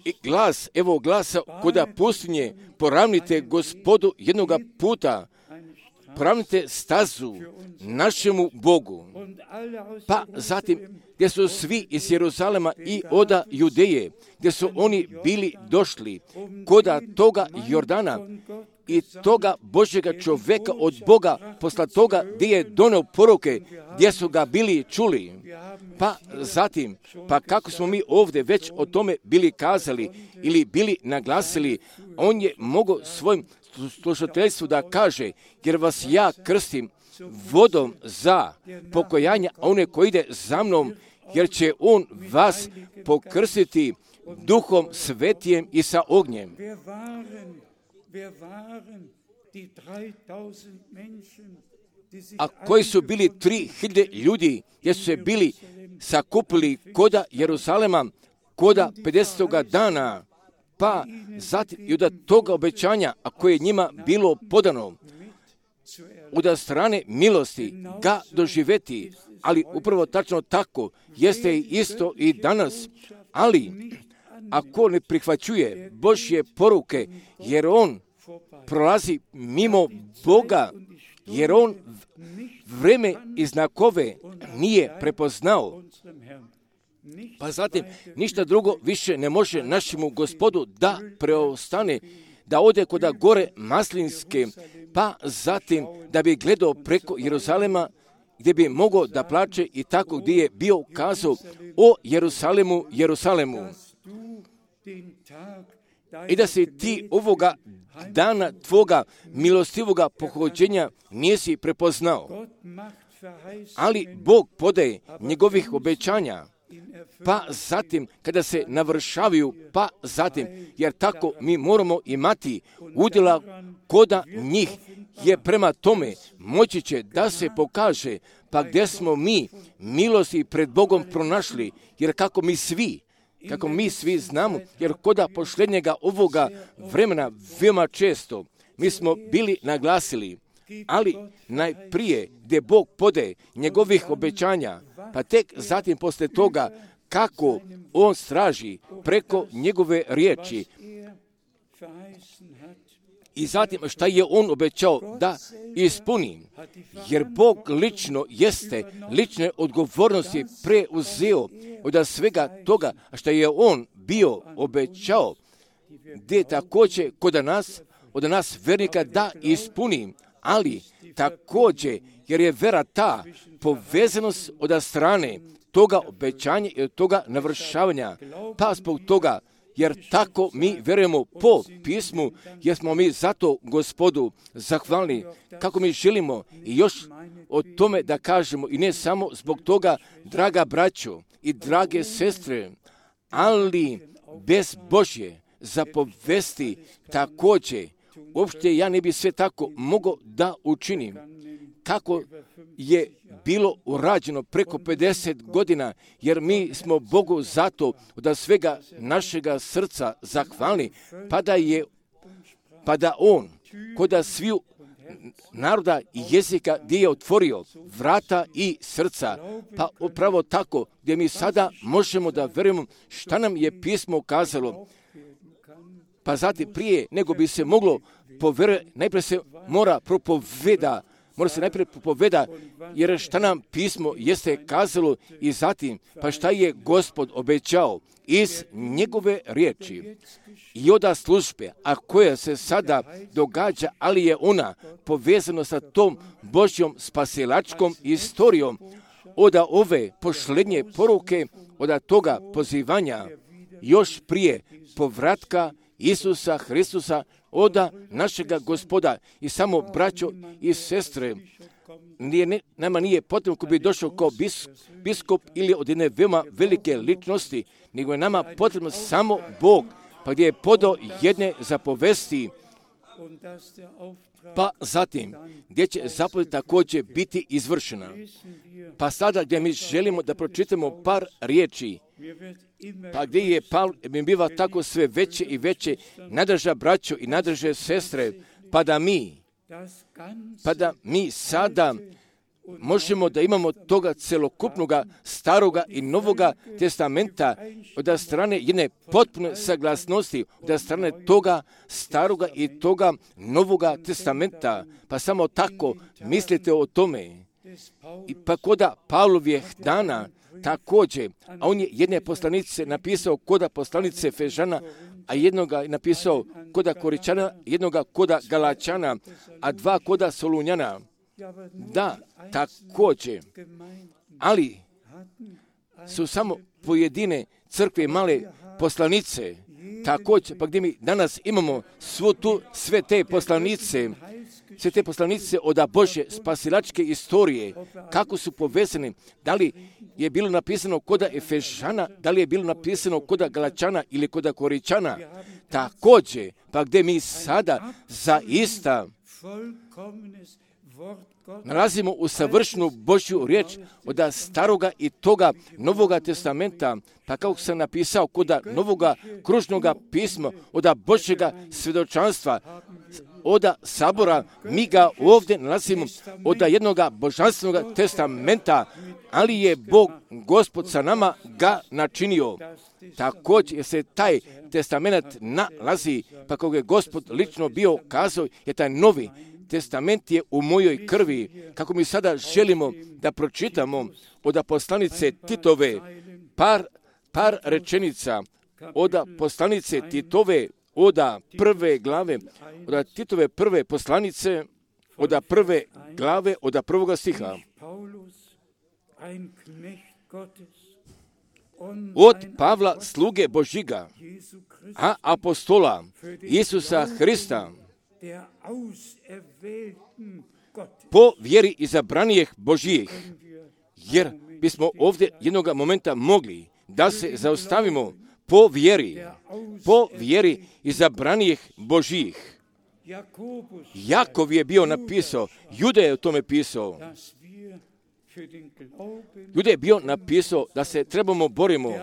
i glas, evo glasa kod pustinje, poravnite Gospodu jednoga puta, poravnite stazu našemu Bogu. Pa zatim, gdje su svi iz Jeruzalema i oda Judeje, gdje su oni bili došli koda toga Jordana i toga Božjega čovjeka od Boga, posla toga gdje je donio poruke, gdje su ga bili čuli. Pa zatim, pa kako smo mi ovdje već o tome bili kazali ili bili naglasili, on je mogao svojim slušateljstvu da kaže, jer vas ja krstim vodom za pokojanje, a one koji ide za mnom, jer će on vas pokrstiti Duhom Svetijem i sa ognjem. A koji su bili tri hiljade ljudi, gdje su se bili sakupili koda Jeruzalema, koda pedesetoga dana, pa zatim i od toga obećanja, a koje je njima bilo podano, od strane milosti ga doživjeti, ali upravo tačno tako jeste i isto i danas, ali ako ne prihvaćuje Božje poruke, jer on prolazi mimo Boga, jer on vreme i znakove nije prepoznao, pa zatim ništa drugo više ne može našemu Gospodu da preostane, da ode koda gore Maslinske, pa zatim da bi gledao preko Jeruzalema, gdje bi mogao da plače i tako gdje je bio kazao o Jerusalemu, Jerusalemu. I da se ti ovoga dana tvoga milostivoga pohođenja nisi prepoznao. Ali Bog podaje njegovih obećanja, pa zatim kada se navršavaju, pa zatim, jer tako mi moramo imati udjela koda njih, je prema tome moći će da se pokaže, pa gdje smo mi milosti pred Bogom pronašli, jer kako mi svi, kako mi svi znamo, jer koda posljednjega ovoga vremena veoma često mi smo bili naglasili, ali najprije gdje Bog pode njegovih obećanja, pa tek zatim poslije toga kako on straži preko njegove riječi i zatim šta je on obećao da ispuni, jer Bog lično jeste lične odgovornosti preuzeo od svega toga što je on bio obećao, gdje također kod nas, od nas vernika da ispuni, ali također jer je vera ta povezanost od strane toga obećanja i od toga navršavanja, pa zbog toga, jer tako mi verujemo po pismu, jer smo mi zato Gospodu zahvalni, kako mi želimo i još o tome da kažemo, i ne samo zbog toga, draga braćo i drage sestre, ali bez Božje zapovesti također, uopšte ja ne bi sve tako mogao da učinim, kako je bilo urađeno preko pedeset godina, jer mi smo Bogu zato od svega našega srca zahvalni, pa da je, pa da on, koda sviju naroda i jezika gdje je otvorio vrata i srca, pa upravo tako gdje mi sada možemo da verujemo šta nam je pismo kazalo, pa zatim prije nego bi se moglo povjerovati, najprije se mora propoveda, mora se najprije propoveda, jer šta nam pismo jeste kazalo i zatim, pa šta je Gospod obećao iz njegove riječi i oda službe, a koja se sada događa, ali je ona povezana sa tom Božjom spasilačkom istorijom, od ove posljednje poruke, od toga pozivanja, još prije povratka Isusa Hristusa, oda našega Gospoda. I samo, braćo i sestre, nije, ne, nama nije potrebno ko bi došao kao bis, biskup ili od jedne veoma velike ličnosti, nego je nama potrebno samo Bog, pa gdje je podao jedne zapovesti pa zatim gdje će zapovjed također biti izvršena. Pa sada gdje mi želimo da pročitamo par riječi, pa gdje je Pavle mi biva tako sve veće i veće, nadrža braćo i nadrže sestre, pa da mi, pa da mi sada možemo da imamo toga celokupnoga staroga i novoga testamenta od strane jedne potpune saglasnosti, od strane toga staroga i toga novoga testamenta. Pa samo tako mislite o tome. I pa koda Pavlovih dana također, a on je jedne poslanice napisao koda poslanice Efežana, a jednoga je napisao koda Koričana, jednoga koda Galačana, a dva koda Solunjana. Da, također, ali su samo pojedine crkve male poslanice, također, pa gdje mi danas imamo svu tu, sve te poslanice, sve te poslanice od Božje spasilačke istorije, kako su povezane, da li je bilo napisano koda Efežana, da li je bilo napisano koda Galačana ili koda Koričana, također, pa gdje mi sada zaista nalazimo u savršenu Božju riječ od staroga i toga novoga testamenta, pa kako sam napisao koda novoga kružnoga pisma, od Božjega svjedočanstva, od sabora, mi ga ovdje nalazimo od jednoga božanstvenog testamenta, ali je Bog, Gospod sa nama ga načinio. Također se taj testament nalazi, pa kako je Gospod lično bio kazao, je taj novi testament je u mojoj krvi, kako mi sada želimo da pročitamo od poslanice Titove par, par rečenica, od poslanice Titove, od prve glave, od Titove prve poslanice, od prve glave, od prvoga stiha. Od Pavla, sluge Božiga, a apostola Isusa Hrista, po vjeri izabranijih Božijih, jer bismo ovdje jednoga momenta mogli da se zaustavimo po vjeri, po vjeri izabranijih Božijih. Jakov je bio napisao, Juda je o tome pisao, Juda je bio napisao da se trebamo borimo,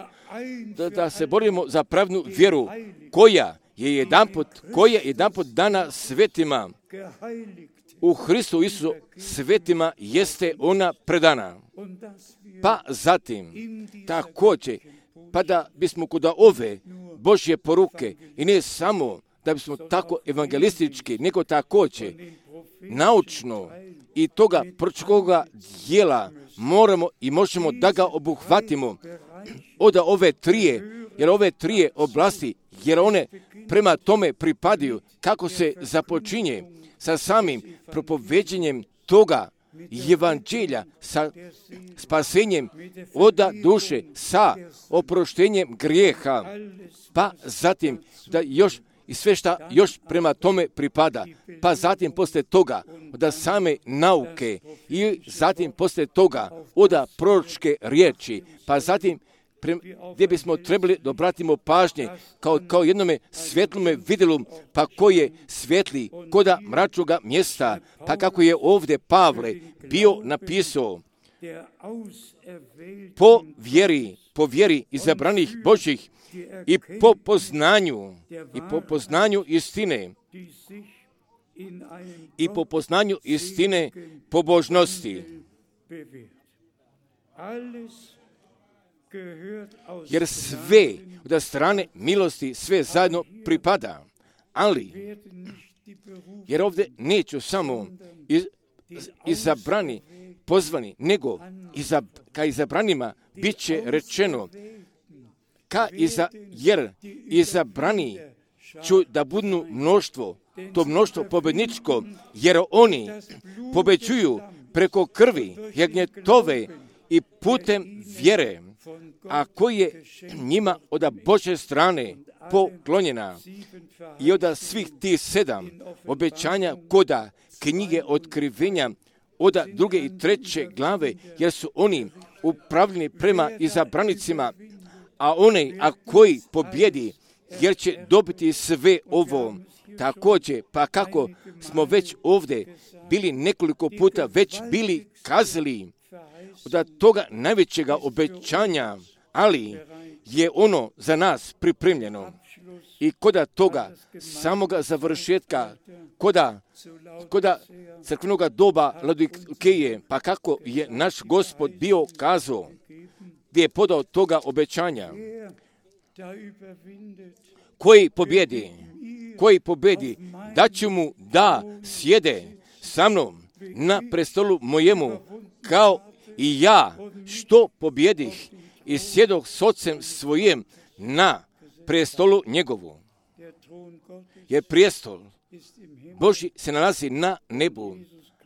da, da se borimo za pravnu vjeru koja je jedanput, koja je jedanput dana svetima. U Hristu Isusu svetima jeste ona predana. Pa zatim, također, pa da bismo kod ove Božje poruke, i ne samo da bismo tako evangelistički, nego također naučno i toga proročkoga dijela moramo i možemo da ga obuhvatimo od ove trije, jer ove trije oblasti, jer one prema tome pripadaju, kako se započinje sa samim propoveđenjem toga evanđelja, sa spasenjem od duše, sa oproštenjem grijeha, pa zatim da još i sve šta još prema tome pripada, pa zatim poslije toga od same nauke i zatim poslije toga od proročke riječi, pa zatim pre, gdje bismo trebali da obratimo pažnje kao, kao jednome svjetlome vidjelu, pa koji je svjetli koda mračnoga mjesta, pa kako je ovdje Pavle bio napisao po vjeri, po vjeri izabranih Božjih i po poznanju, i po poznanju istine, i po poznanju istine pobožnosti. Jer sve od strane milosti sve zajedno pripada, ali jer ovdje neću samo iz, izabrani, pozvani, nego izab, ka izabranima bit će rečeno, ka iza, jer izabrani ću da budu mnoštvo, to mnoštvo pobjedničko, jer oni pobeđuju preko krvi jagnjetove i putem vjere, a koji je njima od Božje strane poklonjena. I od svih tih sedam obećanja koda knjige otkrivenja od druge i treće glave, jer su oni upravljeni prema izabranicima, a onaj a koji pobjedi jer će dobiti sve ovo. Također, pa kako smo već ovdje bili nekoliko puta već bili kazali od toga najvećega obećanja, ali je ono za nas pripremljeno. I koda toga samoga završetka, koda, koda crkvenoga doba Laodikeje, pa kako je naš Gospod bio kazao, gdje je podao toga obećanja, koji pobjedi, koji pobjedi, da ću mu da sjede sa mnom na prestolu mojemu, kao i ja što pobjedih i sjedoh s ocem svojim na prestolu njegovu. Jer prijestol Božji se nalazi na nebu,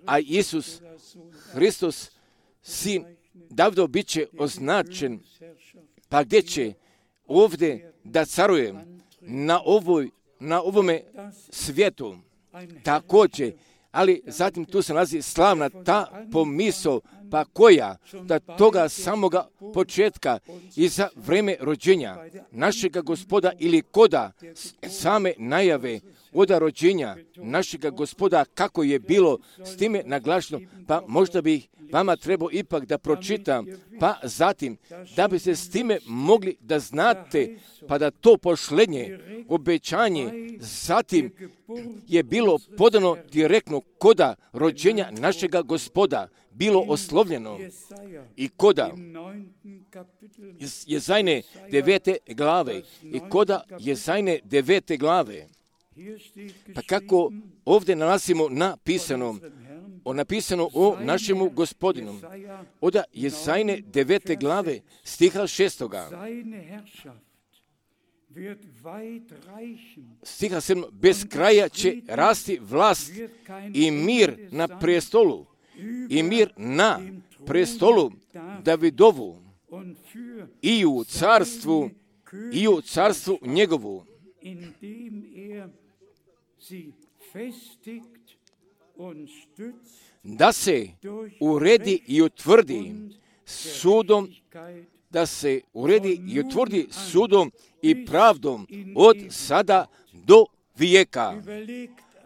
a Isus Hristos, sin Davidov, bit će označen, pa gdje će ovdje da caruje na, ovoj, na ovome svijetu također, ali zatim tu se nalazi slavna ta pomisao, pa koja da toga samoga početka i za vreme rođenja našega Gospoda ili koda same najave oda rođenja našega Gospoda, kako je bilo s time naglašeno, pa možda bi vama trebao ipak da pročitam, pa zatim da bi se s time mogli da znate, pa da to posljednje obećanje zatim je bilo podano direktno koda rođenja našega Gospoda, bilo oslovljeno i koda Jezajne devete glave i koda Jezajne devete glave. Pa kako ovdje nalazimo napisano, o napisano o našemu Gospodinu, od Jezajne devete glave, stiha šestoga. Stiha sedam, bez kraja će rasti vlast i mir na prestolu, i mir na prestolu Davidovu, i u carstvu, i u carstvu njegovu, da se uredi i utvrdi sudom, da se uredi i utvrdi sudom i pravdom od sada do vijeka.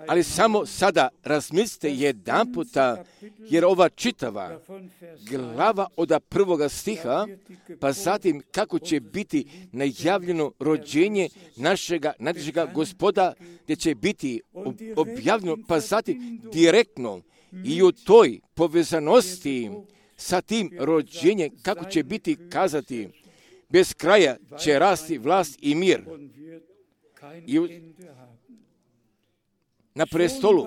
Ali samo sada razmislite jedan puta, jer ova čitava glava od prvoga stiha, pa zatim kako će biti najavljeno rođenje našega najdražega Gospoda, gdje će biti objavljeno, pa zatim direktno i u toj povezanosti sa tim rođenjem, kako će biti kazati, bez kraja će rasti vlast i mir. I u, na prestolu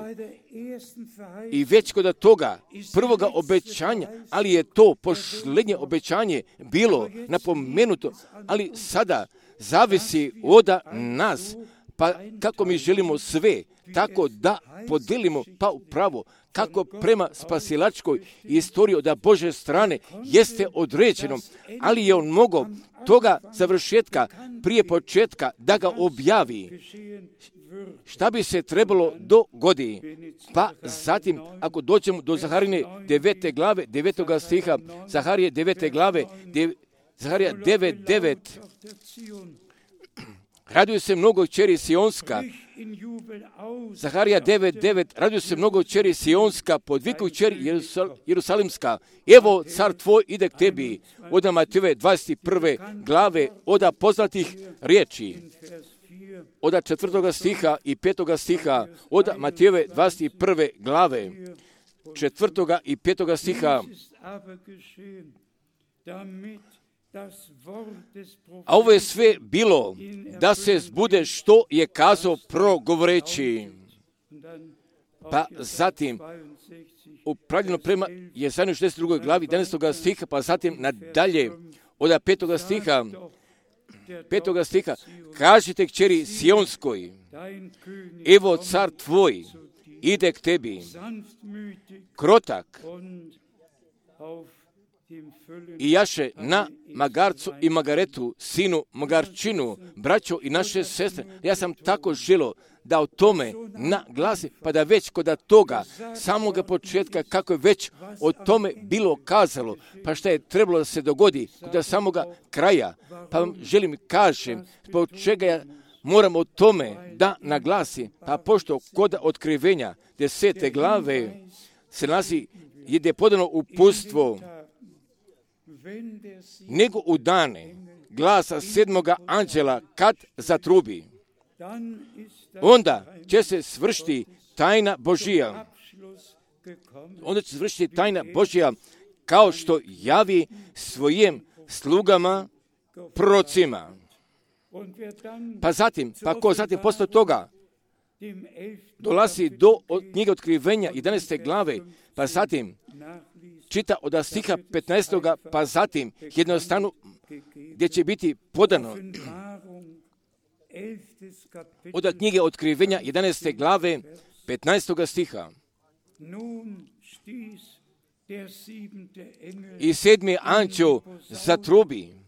i već kod toga prvoga obećanja, ali je to posljednje obećanje bilo napomenuto, ali sada zavisi od nas, pa kako mi želimo sve, tako da podelimo pa upravo, kako prema spasilačkoj istoriji od Bože strane jeste određeno, ali je on mogao toga završetka prije početka da ga objavi. Šta bi se trebalo dogoditi? Pa zatim, ako dođemo do Zaharije devete glave, devetoga stiha, Zaharije devete glave, dev, Zaharija devet devet, raduju se mnogo kćeri Sionska. Zaharija devet devet, raduju se mnogo kćeri Sionska, podviku kćeri Jerusal, Jerusalimska. Evo, car tvoj ide k tebi. Od Matejove dvadeset prve glave, od poznatih riječi. Od četvrtoga stiha i petoga stiha, od Matejove dvadeset prve glave, četvrtoga i petoga stiha. A ovo je sve bilo da se zbude što je kazao progovoreći. Pa zatim, upravljeno prema Jezajnoj šezdeset drugoj glavi, jedanaestoga stiha, pa zatim nadalje, od petoga stiha, petoga stiha, kažite kćeri Sionskoj, evo car tvoj ide k tebi, krotak i jaše na magarcu i magaretu, sinu magarčinu, braćo i naše sestre. Ja sam tako želio da o tome naglasi, pa da već kod toga samoga početka, kako je već o tome bilo kazalo, pa šta je trebalo da se dogodi kod samoga kraja, pa vam želim kažem, zbog čega ja Moram o tome da naglasi, pa pošto kod otkrivenja desete glave se nalazi gdje je podano uputstvo, nego u dane glasa sedmoga anđela kad zatrubi, onda će se svršiti tajna Božija. Onda će se svršiti tajna Božija kao što javi svojim slugama, prorocima. Pa zatim, pa ko zatim posle toga dolazi do od knjige otkrivenja jedanaeste glave, pa zatim čita od stiha petnaestog pa zatim jednostavno gdje će biti podano od knjige otkrivenja jedanaeste glave petnaestog stiha. I sedmi anđeo zatrubi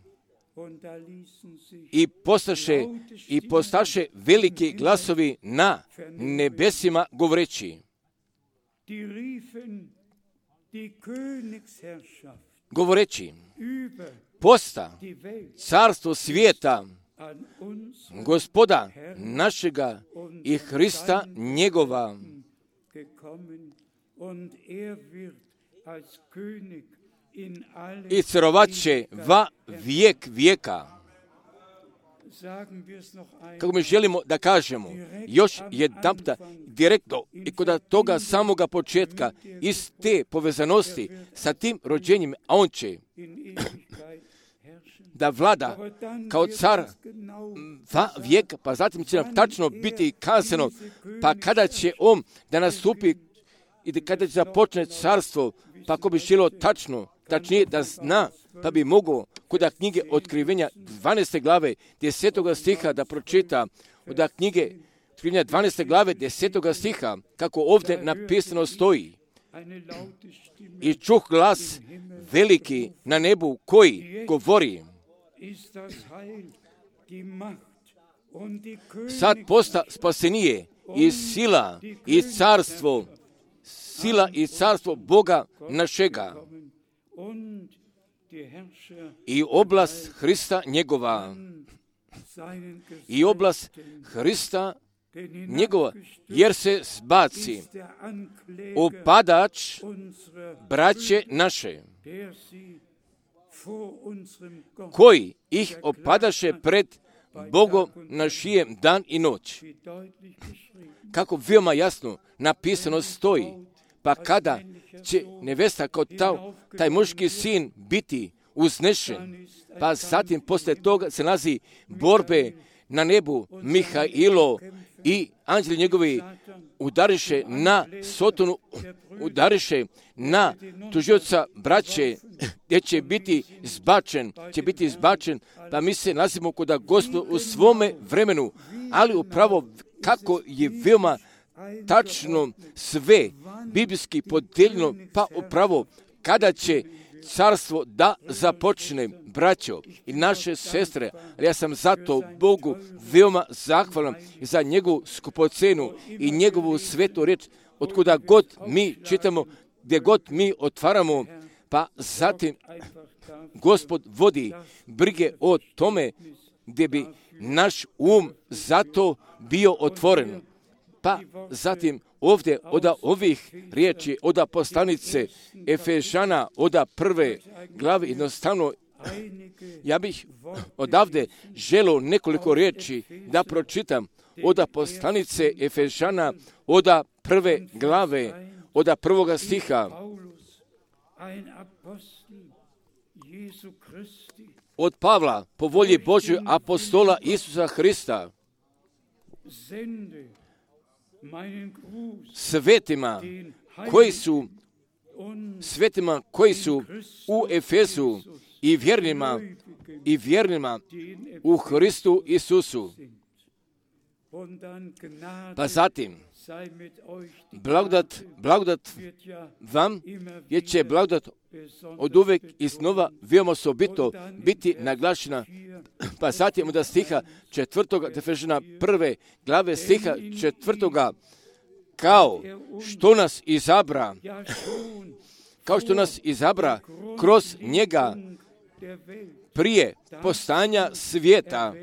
i postaše i postaše veliki glasovi na nebesima govoreći, govoreći, posta carstvo svijeta Gospoda našega i Hrista njegova, i carovat će va vijek vijeka. Kako mi želimo da kažemo, još jedanputa direktno i kod toga samoga početka iz te povezanosti sa tim rođenjem, a on će da vlada kao car va vijeka, pa zatim će nam tačno biti kazano, pa kada će on da nastupi i da kada će započne carstvo, pa ko bi želio tačno, tačnije da zna, pa bi mogao kod knjige otkrivenja dvanaeste glave desetog stiha da pročita od knjige otkrivenja dvanaeste glave desetog stiha, kako ovdje napisano stoji. I čuh glas veliki na nebu koji govori, sad posta spasenije i sila i carstvo, sila i carstvo Boga našega i oblast Hrista njegova, i oblast Hrista njegova, jer se zbaci opadač braće naše, koji ih opadaše pred Bogom našijem dan i noć. Kako veoma jasno napisano stoji, pa kada će nevesta kao taj, taj muški sin biti uznešen, pa zatim posle toga se nalazi borbe na nebu, Mihailo i anđeli njegovi udariše na Sotonu, udariše na tužioca braće, gdje će biti zbačen, će biti zbačen, pa mi se nalazimo kod Gospoda u svome vremenu, ali upravo kako je veoma tačno sve biblijski podeljeno, pa upravo kada će carstvo da započne, braćo i naše sestre, ali ja sam zato Bogu veoma zahvalan za njegovu skupocenu i njegovu svetu reč, od kuda god mi čitamo, gdje god mi otvaramo, pa zatim Gospod vodi brige o tome gdje bi naš um zato bio otvoren. Pa zatim ovdje od ovih riječi, od poslanice Efežana, od prve glave, jednostavno ja bih odavde želio nekoliko riječi da pročitam od poslanice Efežana, od prve glave, od prvoga stiha. Od Pavla, po volji Božoj, apostola Isusa Hrista, svetima koji su svetima koji su u Efezu i vjernima i vjernima u Hristu Isusu. Pa zatim blagodat, blagodat vam, jer će blagodat od uvek i snova veoma osobito biti naglašena. Pa zatim od stiha četvrtoga, Efežana prve glave stiha četvrtoga, kao što nas izabra, kao što nas izabra kroz njega prije postanja svijeta,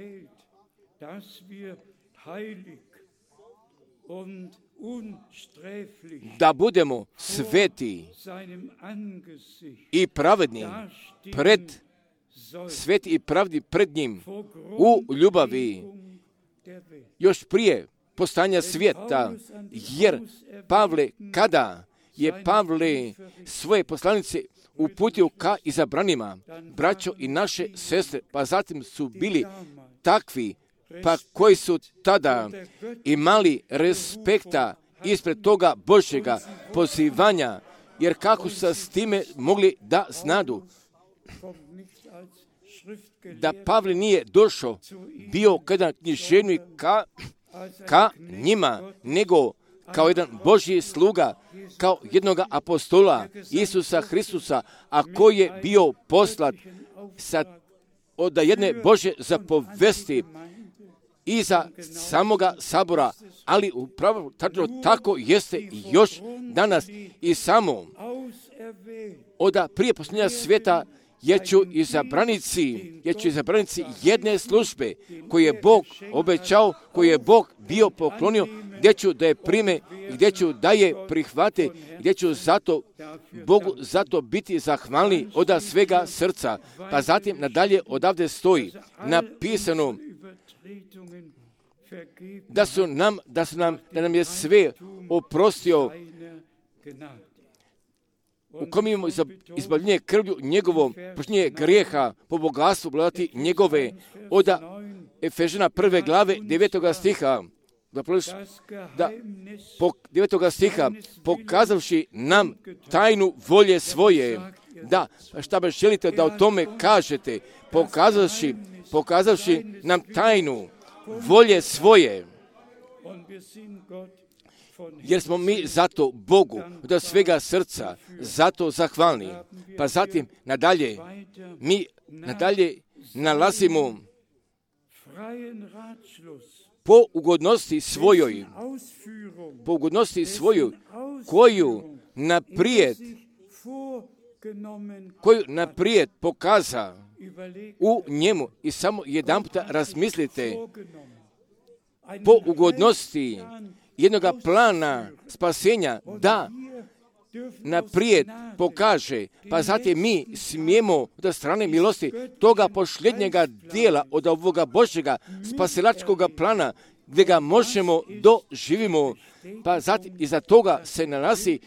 da budemo sveti i pravedni pred sveti i pravdi pred njim u ljubavi još prije postanja svijeta, jer Pavle, kada je Pavle svoje poslanice uputio ka izabranima, braćo i naše sestre, pa zatim su bili takvi, pa koji su tada imali respekta ispred toga Božjega pozivanja, jer kako su s time mogli da znadu da Pavle nije došao, bio kada književnik ka, ka njima, nego kao jedan Božji sluga, kao jednoga apostola Isusa Hristusa, a koji je bio poslat sa, od jedne Božje zapovesti i za samoga sabora, ali upravo tačno tako jeste još danas i samo od prije posljednja svijeta jer ću izabranici, jer ću izabranici jedne službe koje je Bog obećao, koje je Bog bio poklonio, gdje ću da je prime, gdje ću da je prihvate, gdje ću zato Bogu zato biti zahvalni od svega srca. Pa zatim nadalje odavde stoji napisano da su nam, da su nam, da nam je sve oprostio, u kom imamo izbavljenje krvlju njegovom, počinje grijeha po bogatstvu blagodati njegove, od Efežana prve glave devetoga stiha, da, da po devetoga stiha, pokazavši nam tajnu volje svoje, da, šta baš želite da o tome kažete, pokazavši, pokazavši nam tajnu volje svoje, jer smo mi zato Bogu od svega srca zato zahvalni. Pa zatim nadalje, mi nadalje nalazimo po ugodnosti svojoj, po ugodnosti svojoj, koju naprijed, koju naprijed pokaza u njemu, i samo jedan puta razmislite, po ugodnosti jednoga plana spasenja, da naprijed pokaže, pa zatim mi smijemo od strane milosti toga posljednjega dijela od ovoga Božjega spasilačkoga plana, gdje ga možemo doživimo, pa zatim iza toga se nalazi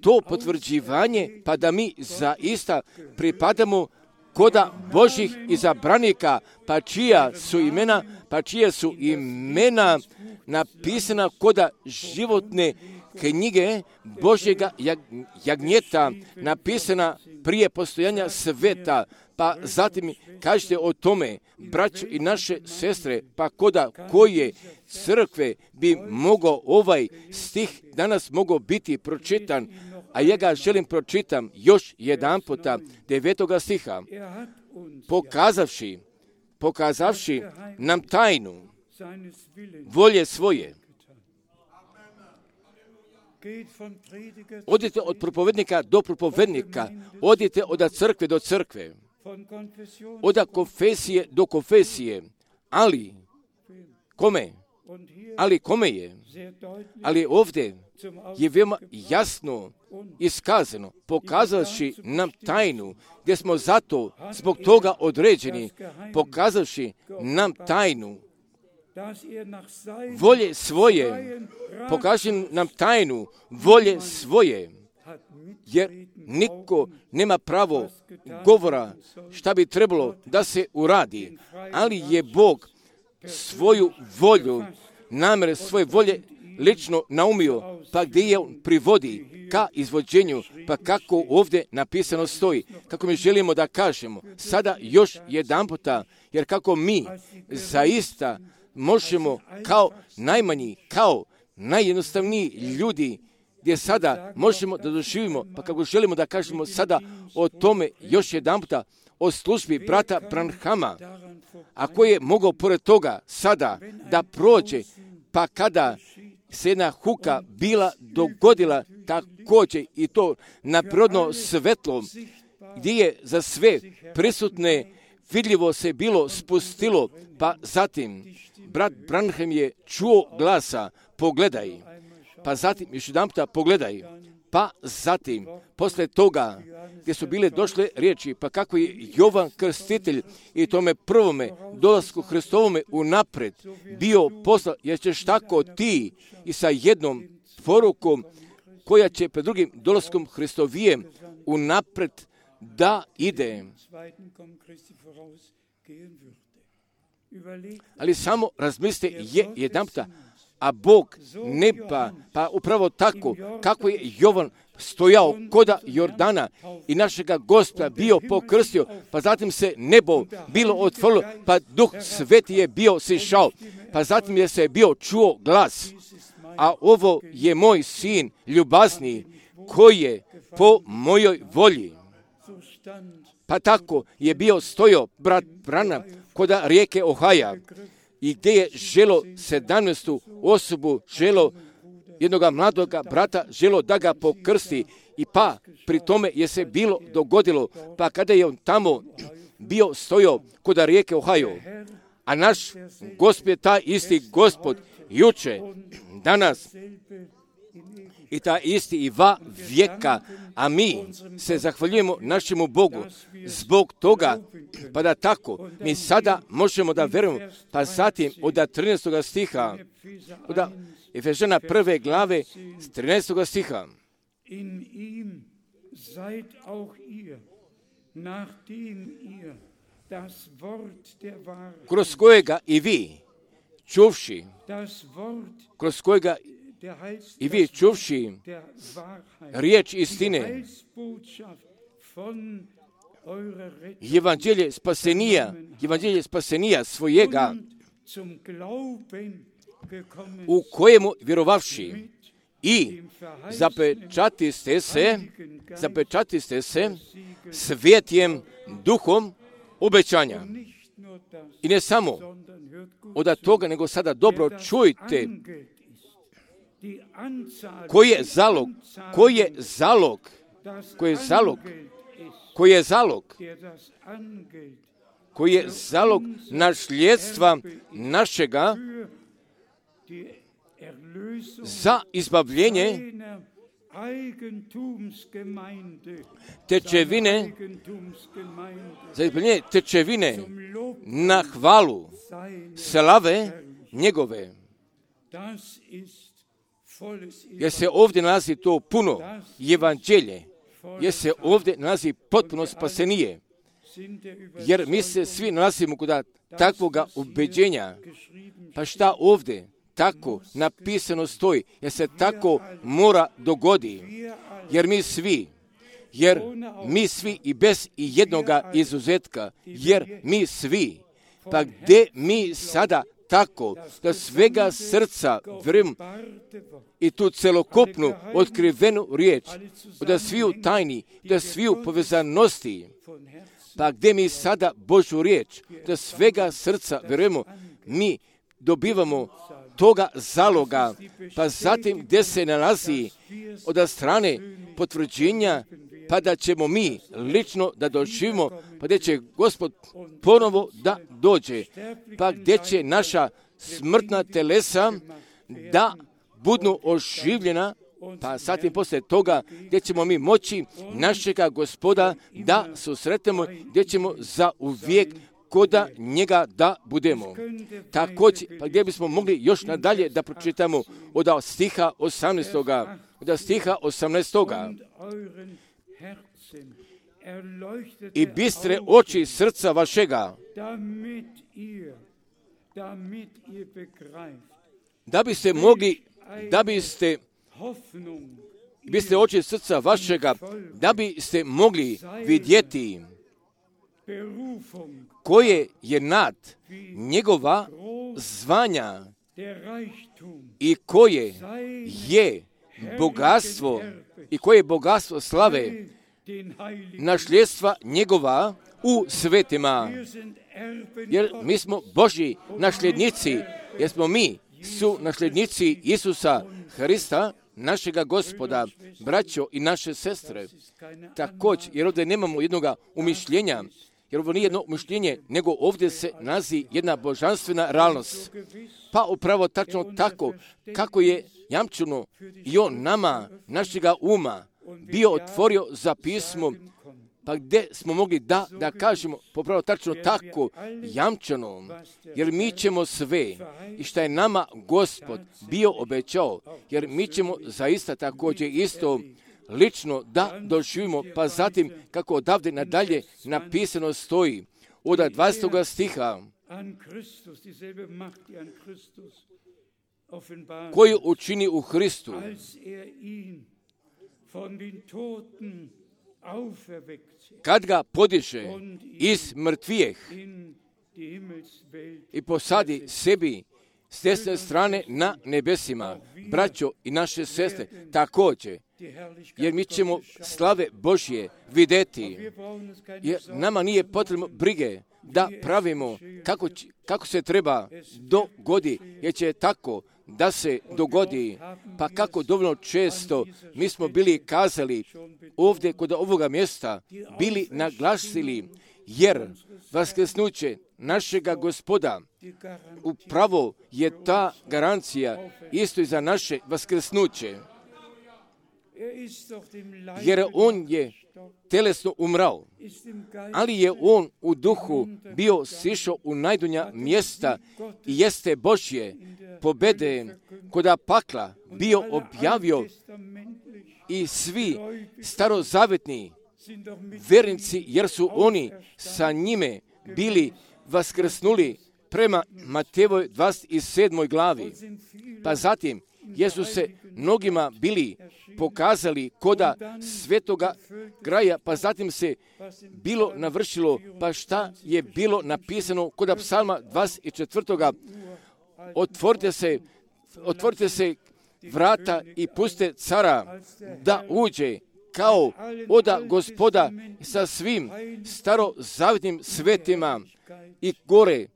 to potvrđivanje, pa da mi zaista pripadamo koda Božjih izabranika, pa čija su imena, pa čija su imena napisana koda životne knjige Božjega jagnjeta, napisana prije postojanja sveta. Pa zatim kažete o tome, braćo i naše sestre, pa koda koje crkve bi mogao ovaj stih danas mogao biti pročitan, a ja ga želim pročitam još jedan puta, devetoga stiha, pokazavši, pokazavši nam tajnu volje svoje. Odite od propovednika do propovednika, odite od crkve do crkve, od konfesije do konfesije, ali kome? Ali kome je? Ali ovdje je veoma jasno iskazano, pokazavši nam tajnu, gdje smo zato zbog toga određeni, pokazavši nam tajnu volje svoje, pokaži nam tajnu volje svoje, jer niko nema pravo govora šta bi trebalo da se uradi, ali je Bog svoju volju, namere svoje volje lično naumio, pa gdje je on privodi ka izvođenju, pa kako ovdje napisano stoji, kako mi želimo da kažemo, sada još jedan puta, jer kako mi zaista možemo kao najmanji, kao najjednostavniji ljudi, gdje sada možemo da doživimo, pa kako želimo da kažemo sada o tome još jedan puta, o službi brata Branhama, a koji je mogao pored toga sada da prođe, pa kada se jedna huka bila dogodila također i to na prirodno svetlo, gdje je za sve prisutne vidljivo se bilo spustilo, pa zatim brat Branham je čuo glasa, pogledaj, pa zatim još jedan puta pogledaj, pa zatim, posle toga, gdje su bile došle riječi, pa kako je Jovan Krstitelj i tome prvome dolasku Hristovome unapred bio poslan, jer ćeš tako ti i sa jednom porukom koja će pred drugim dolaskom Hristovijem unapred da ide. Ali samo razmislite je jedan puta, a Bog neba, pa upravo tako, kako je Jovan stojao koda Jordana i našega Gospoda bio pokrstio, pa zatim se nebo bilo otvorilo, pa Duh Sveti je bio sišao, pa zatim je se bio čuo glas, a ovo je moj sin ljubazni, koji je po mojoj volji. Pa tako je bio stojao brat Branham koda rijeke Ohaja, i gdje je želo sedamnaestu osobu, želo jednoga mladoga brata, želo da ga pokrsti, i pa pri tome je se bilo dogodilo, pa kada je on tamo bio stojao koda rijeke Ohajo, a naš Gospod je taj isti Gospod juče, danas i ta isti i va vijeka, a mi se zahvaljujemo našemu Bogu zbog toga, pa da tako mi sada možemo da verujemo, pa zatim od trinaestog stiha, od Efežana prve glave trinaestog stiha. In ihm seid auch ihr, nachdem ihr das Wort der Wahrheit, kroz kojega i vi, čuvši, das Wort kroz kojega der Heils, i vi čuvši der Wahrheit, riječ die istine, Heilsbotschaft von eurer Rettung evanđelje spasenija, evanđelje spasenija svojega, und zum Glauben gekommen u kojemu vjerovavši mit i dem verheißenen zapečatiste se, Heiligen Geist zapečatiste se des Siegels, svjetjem duhom obećanja. nicht nur das, I ne samo sondern hört gut od toga, nego sada dobro wer das čujte, Angeld ist, die Anzahl, koji je die zalog, Anzahl, koji je zalog, das koji je zalog, Angeld ist, koji je zalog, der das Angeld koji je zalog nasljedstva našega für die Erlösung za izbavljenje seiner Eigentumsgemeinde, tečevine, Eigentumsgemeinde za izbavljenje tečevine zum Lob na hvalu seiner slave njegove. Das ist volles Jer se ovdje nalazi to puno evanđelje, jer se ovdje nalazi potpuno spasenije, sind der jer mi se svi nalazimo kod takvoga ubeđenja. Pa šta ovdje tako napisano stoji, jer se tako mora dogodi, jer mi svi, jer mi svi i bez i jednoga izuzetka, jer mi svi, pa gdje mi sada tako da svega srca vjerujem i tu celokupnu otkrivenu riječ, da sviju tajni, da sviju povezanosti, pa gdje mi sada Božju riječ, da svega srca vjerujemo, mi dobivamo toga zaloga, pa zatim gdje se nalazi od strane potvrđenja, pa da ćemo mi lično da doživimo, pa gdje će Gospod ponovo da dođe, pa gdje će naša smrtna telesa da budu oživljena, pa zatim poslije toga gdje ćemo mi moći našega Gospoda da susretemo, gdje ćemo za uvijek koda njega da budemo. Također, pa gdje bismo mogli još nadalje da pročitamo od stiha osamnaestoga. Od stiha osamnaestoga. I bistre oči srca vašega, da biste mogli, da biste, biste oči srca vašega, da biste mogli vidjeti koje je nad njegova zvanja i koje je bogatstvo i koje je bogatstvo slave nasljedstva njegova u svetima. Jer mi smo Božji nasljednici, jer smo mi su nasljednici Isusa Hrista, našega Gospoda, braćo i naše sestre. Također, jer ovdje nemamo jednoga umišljenja, jer ovo nije jedno mišljenje, nego ovdje se nalazi jedna božanstvena realnost. Pa upravo tačno tako, kako je jamčeno i on nama, našega uma, bio otvorio za pismo, pa gdje smo mogli da, da kažemo, popravo tačno tako, jamčano, jer mi ćemo sve, i što je nama Gospod bio obećao, jer mi ćemo zaista također isto lično da doživimo, pa zatim kako odavde nadalje napisano stoji, od dvadesetog stiha, koju učini u Hristu, kad ga podiže iz mrtvijeh i posadi sebi s desne strane na nebesima, braćo i naše sestre, također, jer mi ćemo slave Božje vidjeti, jer nama nije potrebno brige da pravimo kako, kako se treba dogodi, jer će tako da se dogodi, pa kako dovoljno često mi smo bili kazali ovdje kod ovoga mjesta, bili naglasili, jer vaskrsnuće našega Gospoda upravo je ta garancija isto i za naše vaskrsnuće, jer on je telesno umrao, ali je on u duhu bio sišao u najdonja mjesta i jeste Božje pobede koda pakla bio objavio i svi starozavetni vernici, jer su oni sa njime bili vaskrsnuli prema Matejevoj dvadeset sedmoj glavi. Pa zatim, jer su se mnogima bili pokazali koda svetoga kraja, pa zatim se bilo navršilo, pa šta je bilo napisano koda psalma dvadeset četvrtog Otvorite se, otvorite se vrata i puste cara da uđe kao oda Gospoda sa svim starozavetnim svetima i gore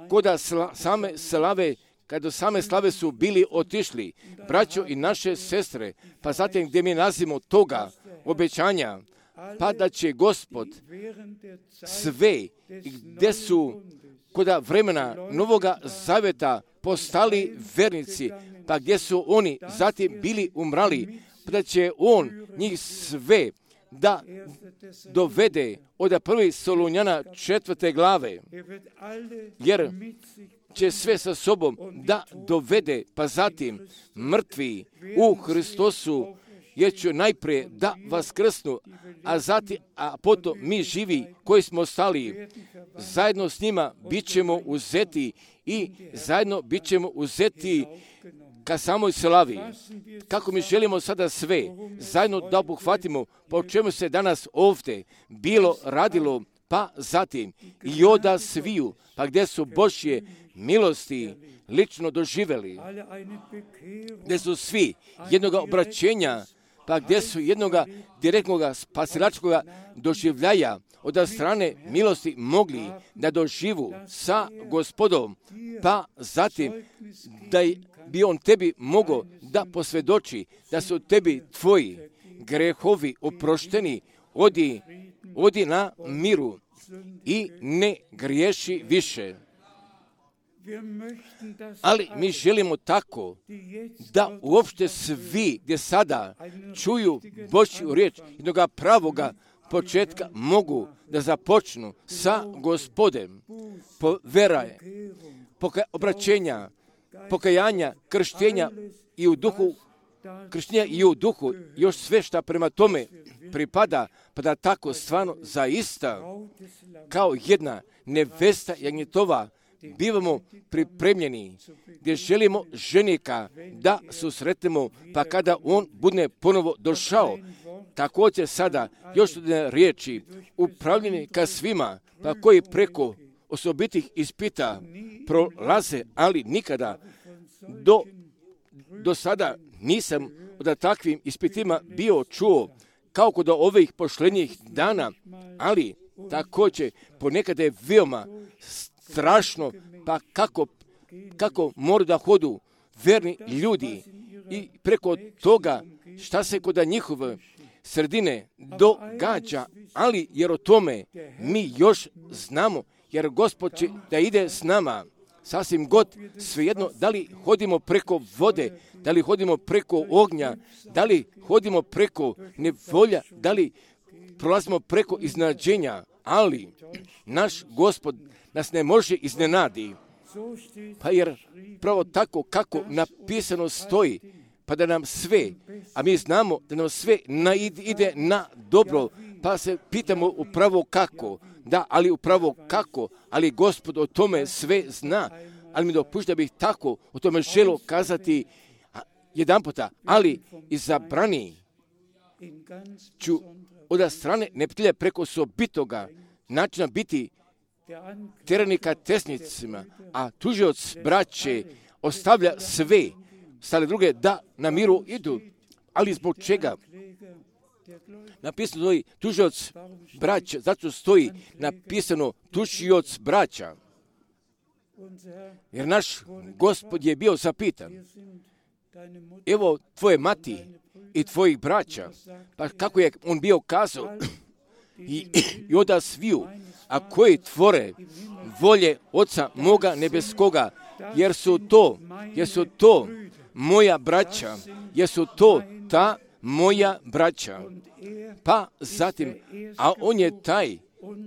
koda sla, same slave, kada same slave su bili otišli, braćo i naše sestre, pa zatim gdje mi nazimo toga obećanja, pa da će Gospod sve gdje su koda vremena Novoga Zaveta postali vernici, pa gdje su oni zatim bili umrali, pa da će on njih sve da dovede od prvi Solunjana četvrte glave, jer će sve sa sobom da dovede, pa zatim mrtvi u Hristosu, jer će najprije da vaskrsnu, a zatim, a potom mi živi koji smo ostali, zajedno s njima bit ćemo uzeti i zajedno bit ćemo uzeti ka samoj slavi. Kako mi želimo sada sve zajedno da obuhvatimo, po čemu se danas ovdje bilo radilo, pa zatim i oda sviju, pa gdje su Božje milosti lično doživjeli, gdje su svi jednoga obraćenja, pa gdje su jednoga direktnog spasilačkog doživljaja od strane milosti mogli da doživu sa Gospodom, pa zatim da bi on tebi mogao da posvjedoči da su tebi tvoji grehovi oprošteni, odi, odi na miru i ne griješi više. Ali mi želimo tako da uopšte svi gdje sada čuju Božju riječ jednoga pravoga početka mogu da započnu sa Gospodem po veraje, poka- obraćenja, pokajanja, krštenja i u duhu, krštenja i u duhu, još sve šta prema tome pripada, pa da tako stvarno zaista kao jedna nevesta jagnjetova bivamo pripremljeni, gdje želimo ženika da susretnemo, pa kada on bude ponovo došao, također sada još jedne riječi upravljeni ka svima, pa koji preko osobitih ispita prolaze, ali nikada do, do sada nisam od takvim ispitima bio čuo kao kod ovih pošlenjih dana, ali također ponekad je veoma strašno, pa kako, kako moraju da hodu verni ljudi i preko toga šta se kod njihove sredine događa, ali jer o tome mi još znamo, jer Gospod će da ide s nama. Sasvim god, svejedno, da li hodimo preko vode, da li hodimo preko ognja, da li hodimo preko nevolja, da li prolazimo preko iznenađenja, ali naš Gospod nas ne može iznenadi. Pa jer pravo tako kako napisano stoji, pa da nam sve, a mi znamo da nam sve na, ide na dobro, pa se pitamo upravo kako. Da, ali upravo kako, ali Gospod o tome sve zna, ali mi dopušta da bih tako o tome želio kazati jedan puta, ali izabrani ću od strane neprijatelja preko sobitoga načina biti teranika tesnicima, a tužioc braće ostavlja sve, stale druge da na miru idu, ali zbog čega? Napisano stoji tužioc braća, zato stoji napisano tužioc braća. Jer naš Gospod je bio zapitan, evo tvoje mati i tvojih braća, pa kako je on bio kazao, i, i oda sviju, a koji tvore volje Oca moga nebeskoga, jer su to, jer su to moja braća, jer su to ta moja braća. Pa zatim, a on je taj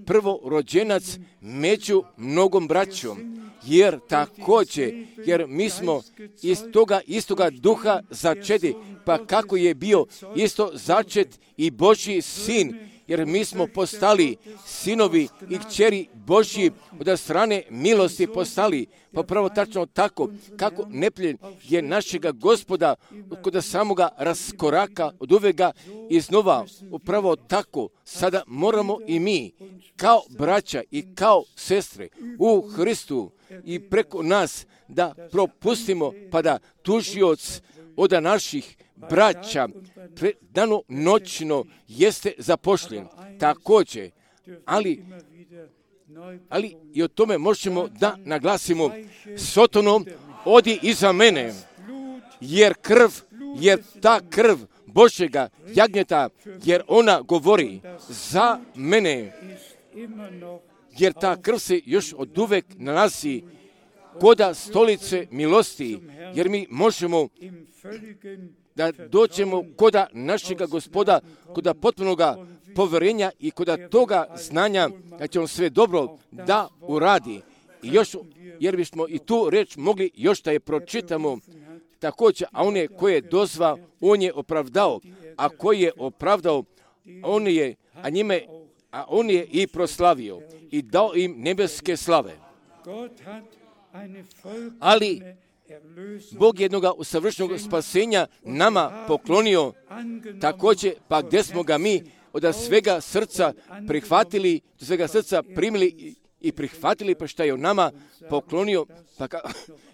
prvorođenac među mnogom braćom, jer također, jer mi smo iz toga istoga duha začeti, pa kako je bio isto začet i Božji sin, jer mi smo postali sinovi i kćeri Božji od strane milosti postali, pa pravo tačno tako, kako neprijatelj je našega Gospoda kod samoga raskoraka od uvega iznova, upravo tako, sada moramo i mi, kao braća i kao sestre u Hristu i preko nas da propustimo, pa da tužioc od naših braća pre, dano noćno jeste zapošljen. Također, ali, ali i o tome možemo da naglasimo, Sotonom, odi iza mene, jer krv, jer ta krv Božjega jagnjeta, jer ona govori za mene, jer ta krv se još od uvek nalazi koda stolice milosti, jer mi možemo da dođemo koda našega Gospoda, koda potpunoga poverenja i koda toga znanja da će on sve dobro da uradi. I još, jer bismo i tu reč mogli još da je pročitamo također, a on je koji je dozvao, on je opravdao, a koji je opravdao, on je, a njime, a on je i proslavio i dao im nebeske slave. Ali Bog jednoga usavršenog spasenja nama poklonio također, pa gdje smo ga mi od svega srca prihvatili, od svega srca primili i prihvatili, pa šta je on nama poklonio, pa ka,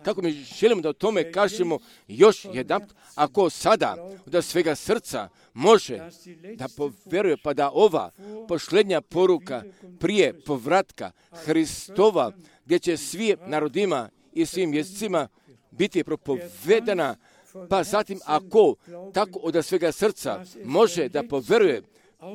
kako mi želimo da o tome kažemo još jedan, ako sada od svega srca može da poveruje, pa da ova posljednja poruka prije povratka Hristova, gdje će svim narodima i svim jezicima biti propovedana, pa zatim ako tako od svega srca može da poveruje,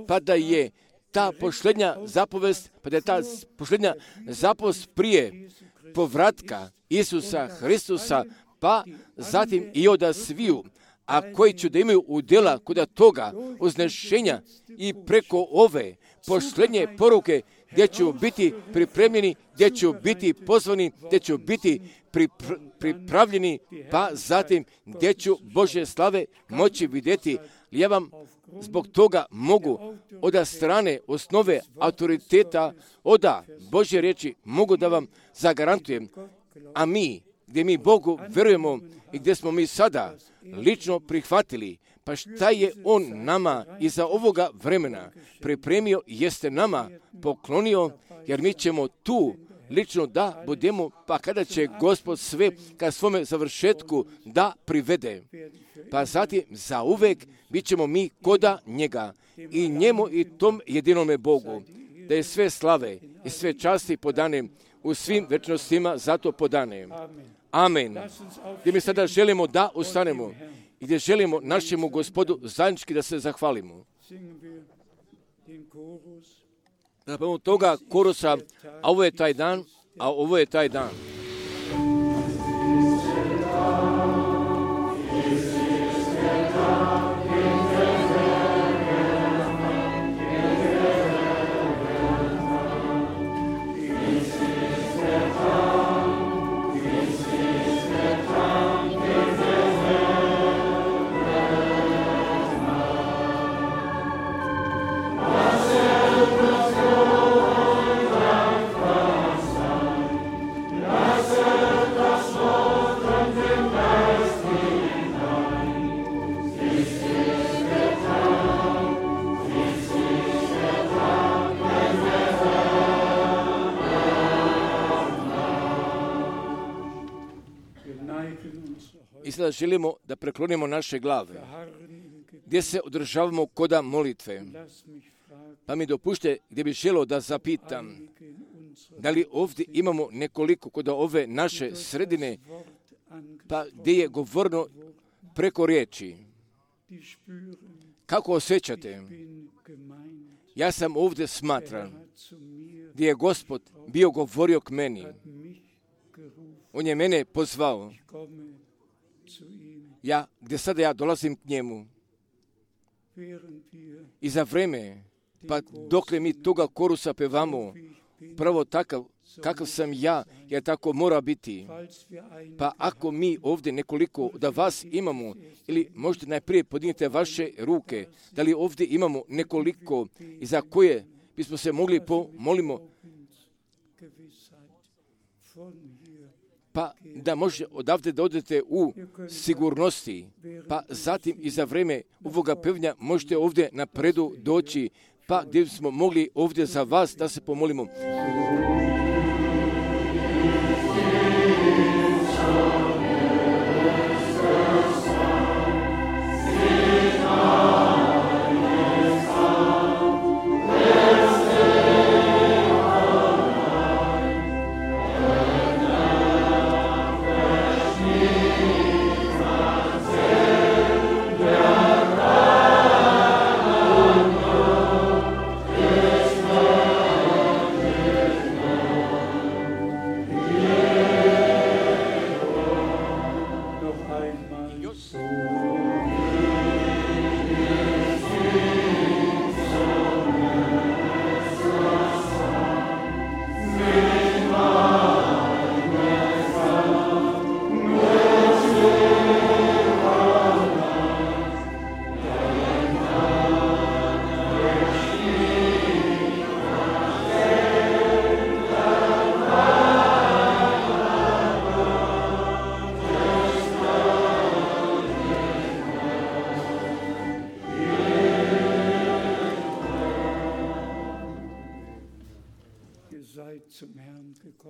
pa da je ta posljednja zapovest, pa da je ta posljednja zapovest prije povratka Isusa Hristusa, pa zatim i od sviju, a koji će da imaju udjela kod toga uznešenja i preko ove posljednje poruke, gdje će biti pripremljeni, gdje će biti pozvani, gdje će biti pripr- pripravljeni, pa zatim gdje će Božje slave moći vidjeti. Ja vam zbog toga mogu od strane osnove autoriteta, od Božje riječi mogu da vam zagarantujem, a mi, gdje mi Bogu verujemo i gdje smo mi sada lično prihvatili, pa šta je On nama iza ovoga vremena pripremio, jeste nama poklonio, jer mi ćemo tu lično da budemo, pa kada će Gospod sve ka svome završetku da privede, pa zatim za uvek bit ćemo mi koda njega i njemu i tom jedinome Bogu, da je sve slave i sve časti podane u svim večnostima, zato podane. Amen. Gdje mi sada želimo da ustanemo i gdje želimo našemu Gospodu zajednički da se zahvalimo. Zapravo toga korusa, a ovo je taj dan, a ovo je taj dan. I sada želimo da preklonimo naše glave, gdje se održavamo koda molitve. Pa mi dopušte gdje bi želio da zapitam, da li ovdje imamo nekoliko koda ove naše sredine, pa gdje je govorno preko riječi. Kako osjećate? Ja sam ovdje smatran, gdje je Gospod bio govorio k meni. On je mene pozvao. Ja, gdje sada ja dolazim k njemu. I za vreme, pa dokle mi toga korusa pevamo, pravo takav, kakav sam ja, jer tako mora biti. Pa ako mi ovdje nekoliko da vas imamo, ili možete najprije podignite vaše ruke, da li ovdje imamo nekoliko i za koje bismo se mogli pomolimo, pa da može odavde da odete u sigurnosti, pa zatim i za vreme ovoga pevnja možete ovdje napredu doći, pa gdje smo mogli ovdje za vas da se pomolimo.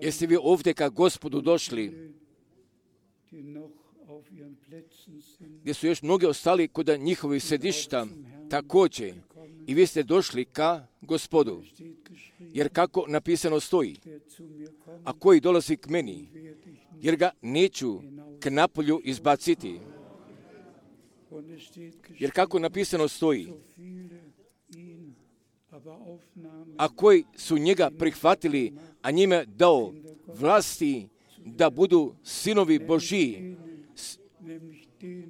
Jeste vi ovdje ka Gospodu došli, gdje su još mnogi ostali kod njihovih sedišta, također i vi ste došli ka Gospodu. Jer kako napisano stoji, a koji dolazi k meni, jer ga neću k napolju izbaciti. Jer kako napisano stoji, a koji su njega prihvatili, a njime dao vlasti da budu sinovi Božiji,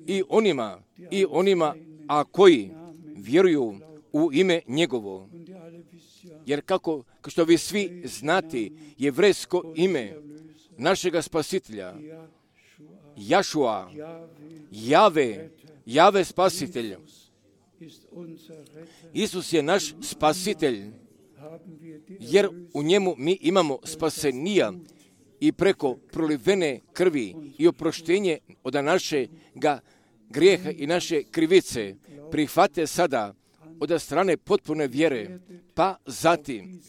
i onima, i onima, a koji vjeruju u ime njegovo. Jer kako, što vi svi znate, jevrejsko ime našega spasitelja, Jašua, Jave, Jave spasitelj. Isus je naš spasitelj, jer u njemu mi imamo spasenija i preko prolivene krvi i oproštenje od našega grijeha i naše krivice prihvate sada od strane potpune vjere, pa zatim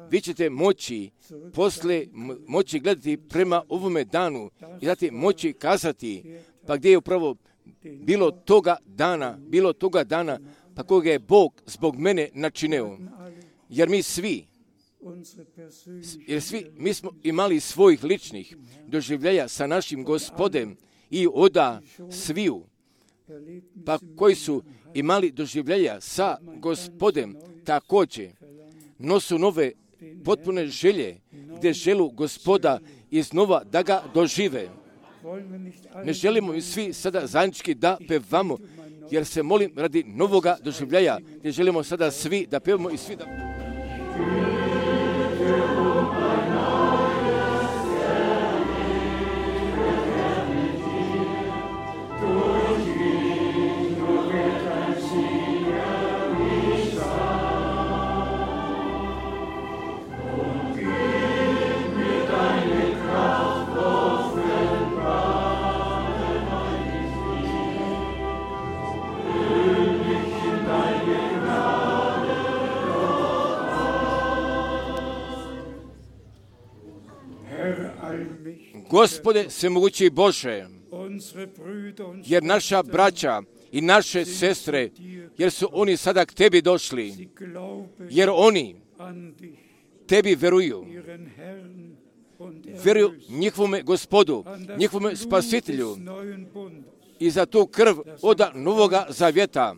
vi ćete moći posle moći gledati prema ovome danu i zatim moći kazati, pa gdje je upravo bilo toga dana, bilo toga dana, pa koga je Bog zbog mene načinio. Jer mi svi, jer svi, mi smo imali svojih ličnih doživljaja sa našim Gospodem i oda sviju, pa koji su imali doživljenja sa Gospodem, također nosu nove potpune želje, gdje želu Gospoda iznova da ga dožive. Ne želimo i svi sada zajednički da pevamo, jer se molim radi novoga doživljaja, gdje želimo sada svi da pevamo i svi da... Gospode svemogući Bože, jer naša braća i naše sestre, jer su oni sada k Tebi došli, jer oni Tebi veruju, veruju njihovome Gospodu, njihovome Spasitelju i za tu krv od Novoga Zavjeta,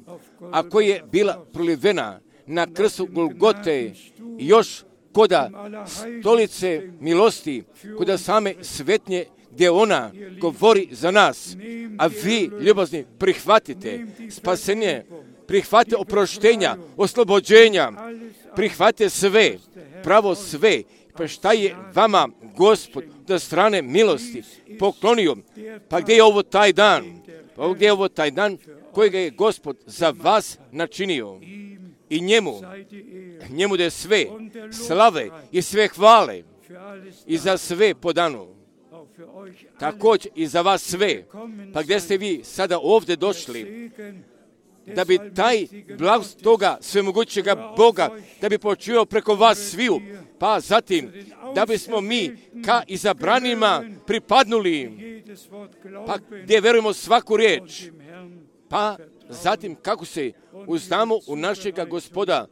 a koja je bila prolivena na krstu Golgote, još koda stolice milosti, koda same svetnje, gdje ona govori za nas, a vi, ljubazni, prihvatite spasenje, prihvatite oproštenja, oslobođenja, prihvatite sve, pravo sve, pa šta je vama Gospod do strane milosti poklonio, pa gdje je ovo taj dan, pa gdje je ovo taj dan kojega je Gospod za vas načinio. I njemu, njemu da je sve slave i sve hvale i za sve podano. Također i za vas sve. Pa gdje ste vi sada ovdje došli, da bi taj blagost toga svemogućega Boga, da bi počuo preko vas sviju, pa zatim da bismo mi ka izabranima pripadnuli, pa gdje verujemo svaku riječ, pa zatim kako se uznamo u našega Gospoda,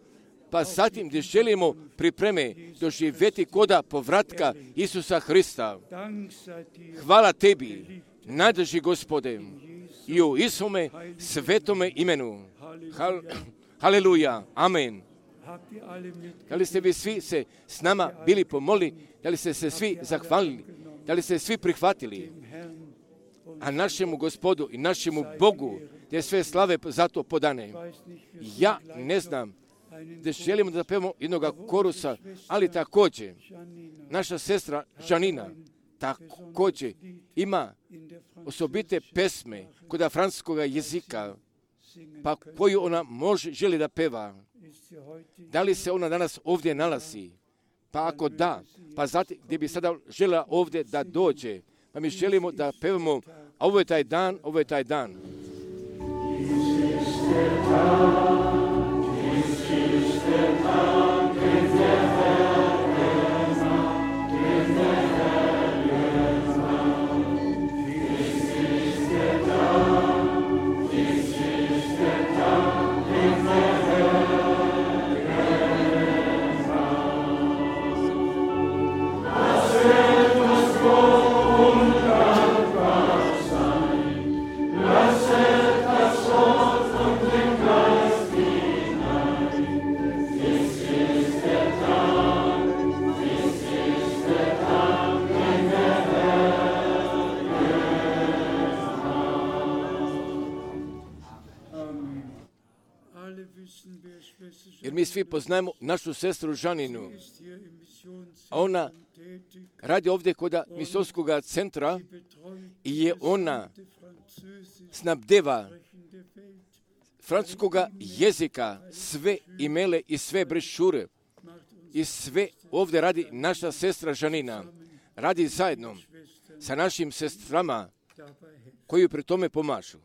pa zatim gdje želimo pripreme doživjeti koda povratka Isusa Hrista. Hvala Tebi, najdrži Gospode, i u Isome svetome imenu. Hal, haleluja, amen. Da li ste vi svi se s nama bili pomolili, da li ste se svi zahvalili, da li ste svi prihvatili, a našemu Gospodu i našemu Bogu gdje sve slave za to podane. Ja ne znam da želimo da pevamo jednoga korusa, ali također naša sestra Žanina također ima osobite pesme koda francuskog jezika, pa koju ona može, želi da peva. Da li se ona danas ovdje nalazi? Pa ako da, pa zatim gdje bi sada žela ovdje da dođe, pa mi želimo da pevamo, a ovo je taj dan, ovo je taj dan. Jer mi svi poznajemo našu sestru Žaninu, a ona radi ovdje kod misijskog centra i je ona snabdeva francuskog jezika sve imele i sve brešure i sve ovdje radi naša sestra Žanina. Radi zajedno sa našim sestrama koji pri tome pomažu.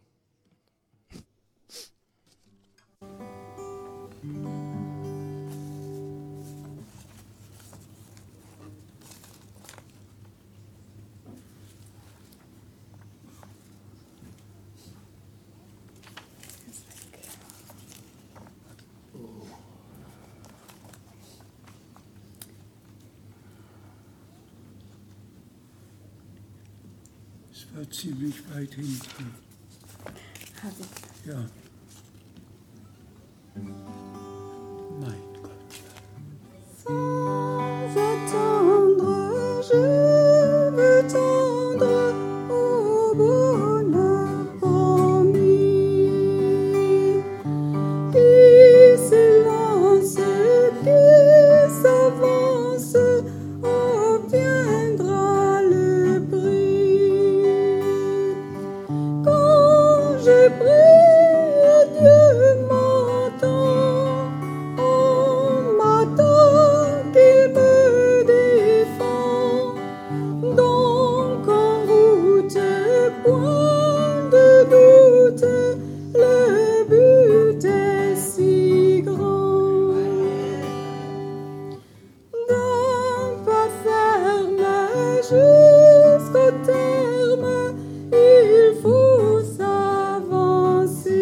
Ja. Mein Gott. Sans attendre, je veux tendre au bonheur promis. Qui s'élance, qui s'avance, obtiendra le prix. Quand je prie, Dieu m'entend, on m'attend qu'il me défend. Donc en route, point de doute, le but est si grand. D'un pas ferme jusqu'au terme, il faut s'avancer.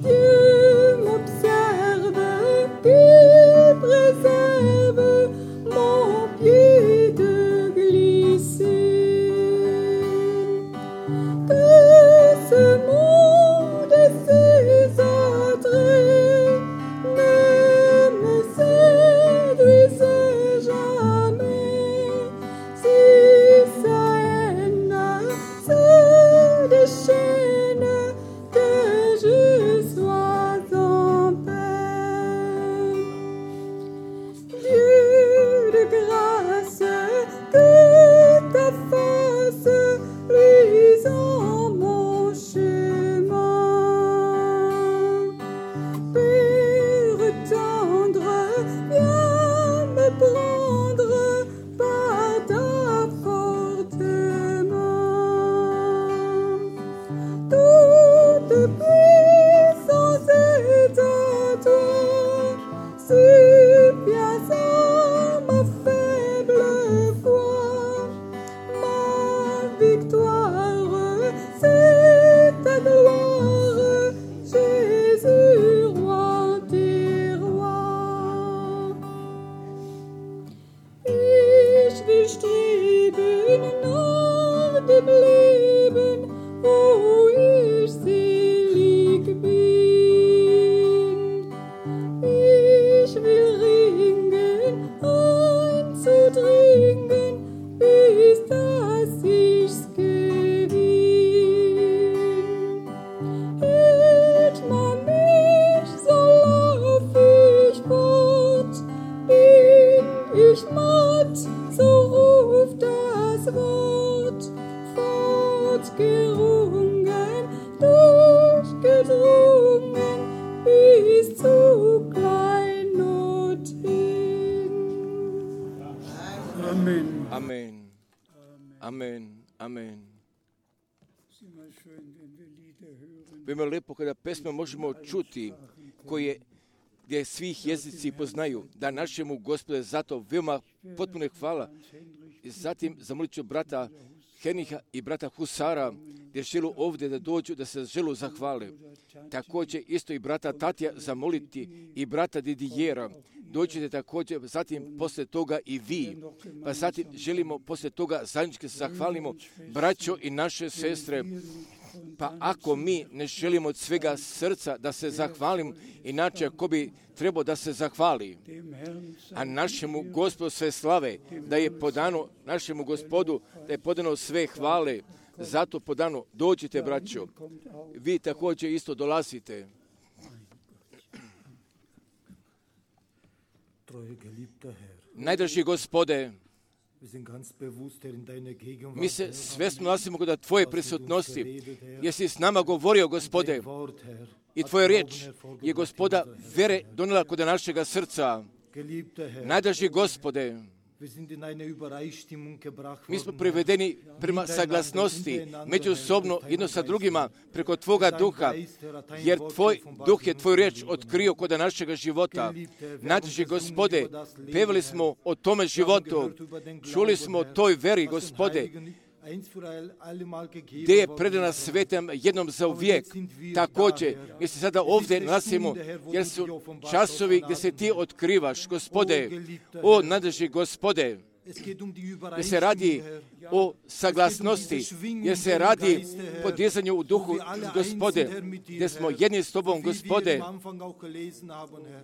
Dieu m'observe, qui préserve mon pied de glisser. Que ce monde et ses attraits ne me séduisent jamais. Si sa haine se déchaîne, que je sois en paix. Dieu de grâce, que ta face luise en mon chemin. Père tendre, viens me prendre par ta forte main. Toute puissance est à toi, supplias à ma faible foi. Ma victoire, c'est ta gloire, Jésus, roi des rois. Ich will streben nach dem Leben, wo ich selig bin. Ich will ringen, einzudringen, bis dass ich's gewinn. Hält man mich, so lauf ich fort. Bin ich matt, so ruft das Wort. Fortgerungen, durchgedrungen, bis zu Kleinod hin. Amen. Amen. Amen. Amen. Es ist immer schön, wenn wir Lieder hören. Veoma lepo kada pesme možemo čuti koje gdje svih jezici poznaju, da našemu Gospodu zato veoma potpuno hvala. I zatim zamolit ću brata Heniha i brata Husara, gdje želu ovdje da dođu, da se želu zahvale. Također isto i brata Tatija zamoliti i brata Didijera. Dođite također, zatim poslije toga i vi. Pa zatim želimo poslije toga zajednički se zahvalimo, braćo i naše sestre. Pa ako mi ne želimo od svega srca da se zahvalimo, inače ko bi trebao da se zahvali, a našemu Gospodu sve slave, da je podano našemu Gospodu, da je podano sve hvale, zato podano dođite, braćo. Vi također isto dolazite. Najdraži Gospode, mi se svjesno nalazimo kod Tvoje prisutnosti, jer si s nama govorio, Gospode, i Tvoja riječ je, Gospoda, vere donijela kod našega srca. Najdraži Gospode, mi smo privedeni prema saglasnosti, međusobno jedno sa drugima, preko Tvoga duha, jer Tvoj duh je Tvoju riječ otkrio kod našega života. Najdraži Gospode, pevali smo o tome životu, čuli smo o toj veri, Gospode, gdje je predana svetem jednom za uvijek. Također, mi se sada ovdje nalazimo, jer su časovi gdje se Ti otkrivaš, Gospode. O, najdraži Gospode, jer se radi o saglasnosti, jer se radi podizanju u duhu, Gospode, gdje smo jedni s Tobom, Gospode,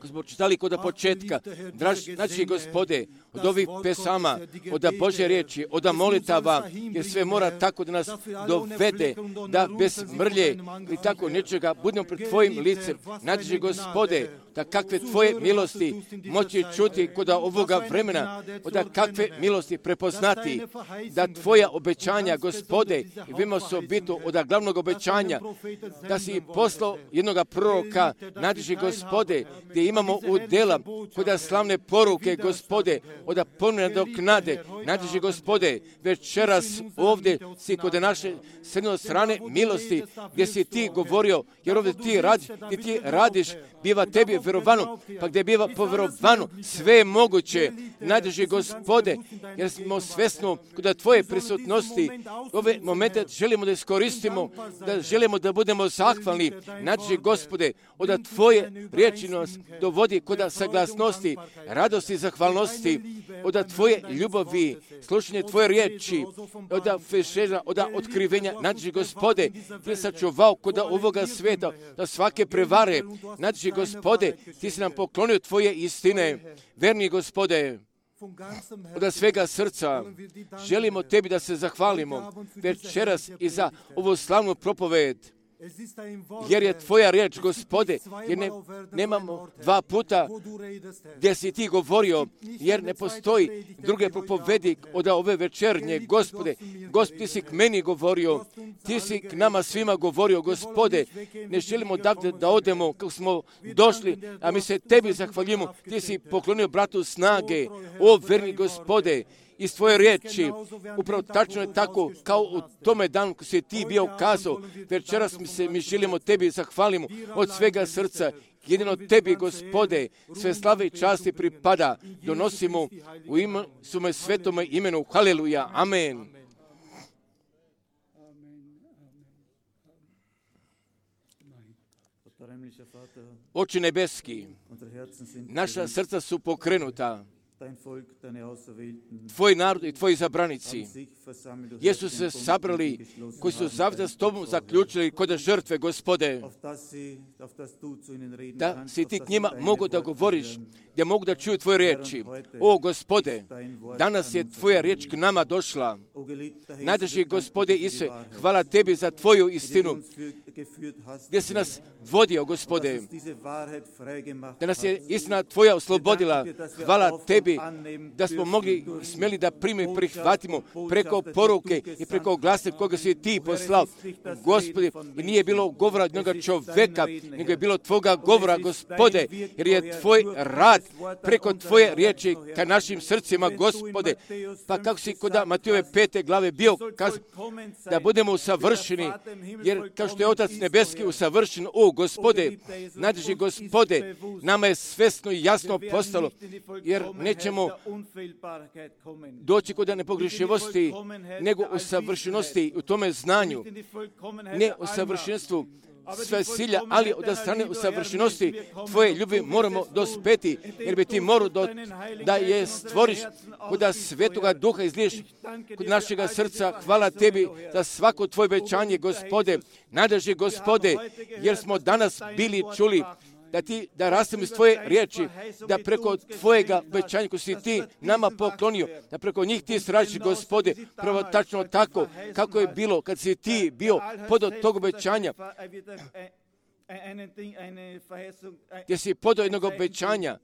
ko smo čitali kod početka. Draž, znači, Gospode, od ovih pesama, od Božje riječi, od molitava, jer sve mora tako da nas dovede, da bez mrlje i tako nečega budemo pred Tvojim licem. Znači, Gospode, da kakve Tvoje milosti moći čuti kod ovoga vremena, da kakve milosti prepoznati, da Tvoja obećanja, Gospode, i vimo se obitu od glavnog obećanja, da si poslao jednog proroka, nadži, Gospode, gdje imamo udjela kod slavne poruke, Gospode, od ponovne doknade, nadži, Gospode, večeras ovdje si kod naše srednje strane milosti, gdje si Ti govorio, jer ovdje Ti radiš, gdje Ti radiš, biva Tebi vjerovano, pa gdje biva povjerovano, sve je moguće, nadži, Gospode, jer smo svjesno kod Tvoje prisutnosti, ove momente želimo da iskoristimo, da želimo da budemo zahvalni, nadži, Gospode, od Tvoje riječi nas dovodi kod saglasnosti, radosti i zahvalnosti, od Tvoje ljubavi, slušanje Tvoje riječi, od fešera, od otkrivenja, nadži, Gospode, Ti sačuvao kod ovoga svijeta, da svake prevare, nadži, Gospode, Ti si nam poklonio Tvoje istine, verni Gospode, od svega srca želimo Tebi da se zahvalimo večeras i za ovu slavnu propoved, jer je Tvoja riječ, Gospode, jer ne, nemamo dva puta gdje si Ti govorio, jer ne postoji druge propovedi od ove večernje, Gospode. Gospod, Ti si k meni govorio, Ti si k nama svima govorio, Gospode. Ne želimo da, da odemo kako smo došli, a mi se Tebi zahvaljujemo. Ti si poklonio bratu snage, o verni Gospode, iz Tvoje riječi. Upravo tačno je tako kao u tome danu ko si Ti bio kazao. Večeras mi se mi želimo Tebi zahvalimo od svega srca. Jedino Tebi, Gospode, sve slave i časti pripada. Donosimo u ime svome svetome imenu. Haleluja. Amen. Oče nebeski, naša srca su pokrenuta. Tvoj narod i Tvoji zabranici, jesu se sabrali, koji su zavda s Tobom zaključili kod žrtve, Gospode, da si Ti k njima mogu da govoriš, da mogu da čuju Tvoje riječi. O, Gospode, danas je Tvoja riječ k nama došla. Najdrži, Gospode Isuse, hvala Tebi za Tvoju istinu, gdje si nas vodio, Gospode, da nas je istina Tvoja oslobodila. Hvala Tebi da smo mogli smjeli da primimo i prihvatimo preko poruke i preko glasa koga si Ti poslao. Gospode, i nije bilo govora od jednoga čoveka, nego je bilo Tvoga govora, Gospode, jer je Tvoj rad preko Tvoje riječi ka našim srcima, Gospode. Pa kako si kod Matejove pete glave bio kazao da budemo usavršeni, jer kao što je Otac nebeski usavršen, o, Gospode, nadrži, Gospode, nama je svesno i jasno postalo, jer nećemo doći kod nepogrešivosti, nego u savršenosti, u tome znanju, ne u savršenstvu sve silja, ali od strane u savršenosti Tvoje ljubi moramo dospeti, jer bi Ti morao do, da je stvoriš kod Svetoga Duha izliješ kod našega srca. Hvala Tebi za svako Tvoje obećanje, Gospode, nadrži, Gospode, jer smo danas bili čuli da Ti, da rastemo iz Tvoje riječi, da preko Tvojega obećanja koji si Ti nama poklonio, da preko njih Ti sradiš, Gospode, prvo tačno tako kako je bilo kad si Ti bio pod tog obećanja, gdje si pod jednog obećanja,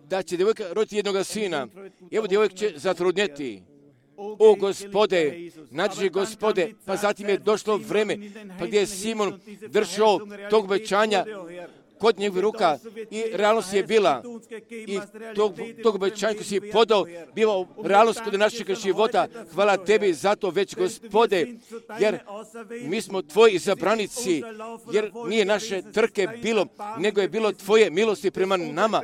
da će djevojka roditi jednog sina. Evo, djevojk će zatrudnjeti. O, Gospode, nadrži, Gospode, pa zatim je došlo vreme, pa gdje je Simon držao tog obećanja kod njegovih ruka i realnost je bila i tog, tog obećanja koji si podao biva realnost kod našeg života. Hvala Tebi za to već, Gospode, jer mi smo Tvoji izabranici, jer nije naše trke bilo, nego je bilo Tvoje milosti prema nama.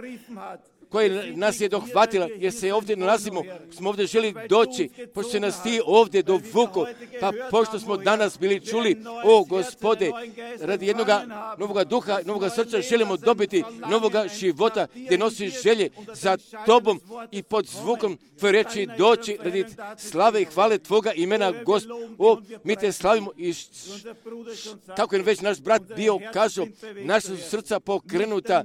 koja nas je dohvatila, jer se ovdje nalazimo, smo ovdje želi doći, pošto se nas ti ovdje dovuku, pa pošto smo danas bili čuli, o Gospode, radi jednog novoga duha, novoga srca želimo dobiti novoga života, gdje nosiš želje za tobom i pod zvukom tvoje reči doći radi slave i hvale tvoga imena, Gospod. O, mi te slavimo i kako je već naš brat bio kazao, naša su srca pokrenuta,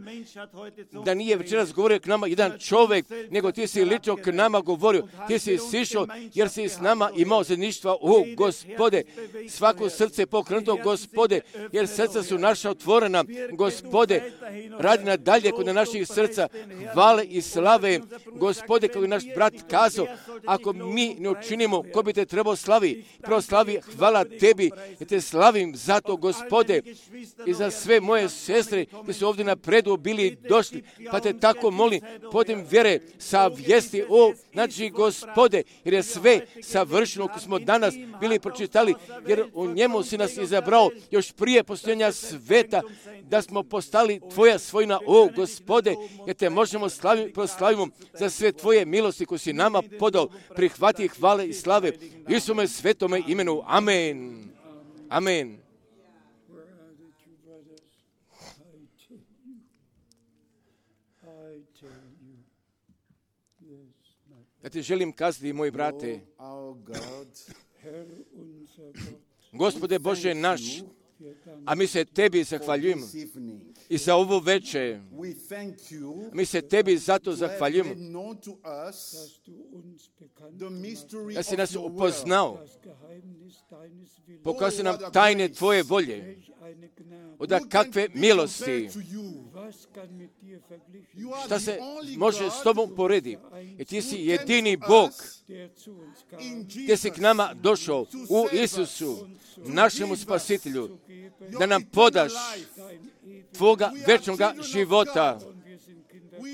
da nije večeras govorio k nama jedan čovjek, nego ti si lično k nama govorio, ti si sišao jer si s nama imao zajedništva, o Gospode, svako srce je pokrenuto, Gospode, jer srca su naša otvorena, Gospode, radi nadalje kod naših srca, hvale i slave, Gospode, kako je naš brat kazao, ako mi ne učinimo, ko bi te trebao slavi, prvo slavi, hvala tebi, ja te slavim zato, Gospode, i za sve moje sestre, koji su ovdje na predu bili došli, pa te tako molim, podem vjere sa vijesti, o, znači, Gospode, jer je sve savršeno, ko smo danas bili pročitali, jer u njemu si nas izabrao još prije postojanja sveta, da smo postali tvoja svojina, o Gospode, jer te možemo slaviti, proslavimo za sve tvoje milosti koje si nama podao, prihvati hvale i slave, Isuse svetome imenu, amen, amen. Ja ti želim kazati, moji brate, Gospode Bože naš, a mi se tebi zahvaljujemo i za ovo večer. Mi se tebi zato zahvaljujemo da si nas upoznao, pokazao nam tajne tvoje volje, od kakve milosti, šta se može s tobom porediti. I ti si jedini Bog, gdje si k nama došao u Isusu, našemu spasitelju, da nam podaš tvoga večnoga života,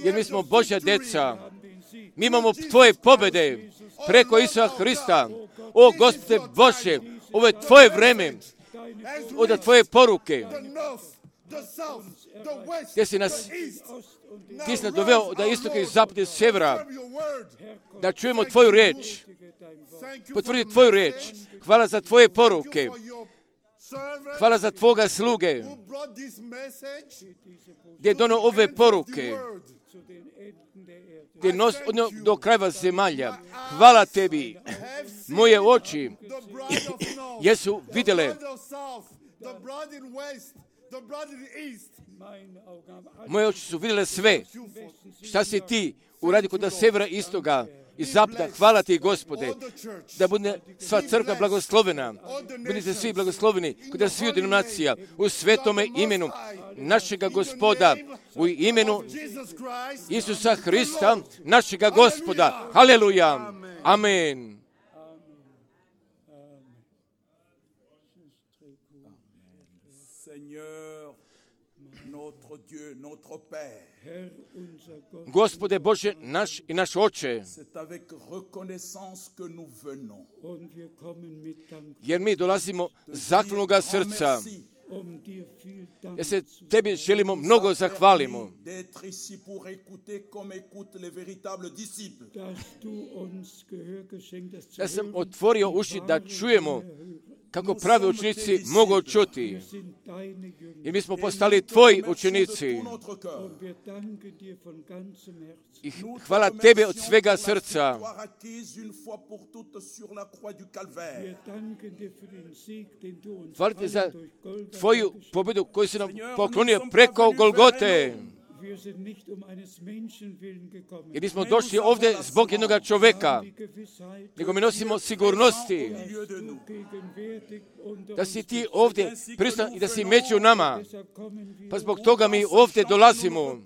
jer mi smo Božja djeca. Mi imamo tvoje pobjede preko Isusa Hrista. O Gospode Bože, ovo je tvoje vreme, od tvoje poruke, gdje si nas, ti si nas doveo da istoka i zapada i sjevera, da čujemo tvoju riječ, potvrdi tvoju riječ. Hvala za tvoje poruke. Hvala za tvoga sluge, gdje je donio ove poruke, gdje nos odnio do krajeva zemalja. Hvala tebi. Moje oči jesu vidjele, moje oči su vidjele sve šta si ti uradio kod sjevera, istoga i zapada. Hvala ti, Gospode, da bude sva crkva blagoslovena, budite svi blagosloveni kod svih denominacija u svetome imenu našega Gospoda, u imenu Isusa Hrista, našega Gospoda. Haleluja. Amen. Gospode Bože naš i naš Oče, jer mi dolazimo zahvalnoga srca, jer se tebi želimo mnogo zahvalimo, da sam otvorio uši da čujemo kako pravi učenici mogu čuti. I mi smo postali tvoji učenici. I hvala tebi od svega srca. Hvala ti za tvoju pobjedu koju si nam poklonio preko Golgote. Jer nismo došli ovdje zbog jednog čovjeka, nego mi nosimo sigurnosti da si ti ovdje pristan i da si među nama. Pa zbog toga mi ovdje dolazimo.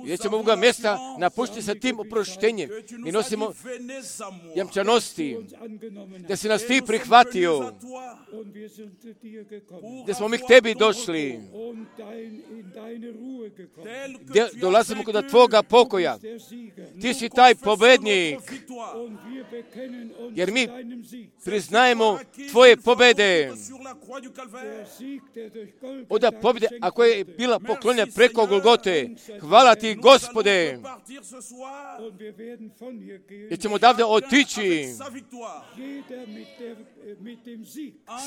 Jer ćemo ovoga mjesta napustiti sa tim oproštenjem i nosimo jamčanosti da si nas ti prihvatio, gdje smo mi k tebi došli, gdje dolazimo kod tvoga pokoja. Ti si taj pobednik jer mi priznajemo tvoje pobjede. Oda pobjede, a koja je bila poklonjena preko Golgote. Hvala ti, Gospode. Jer ćemo odavde otići.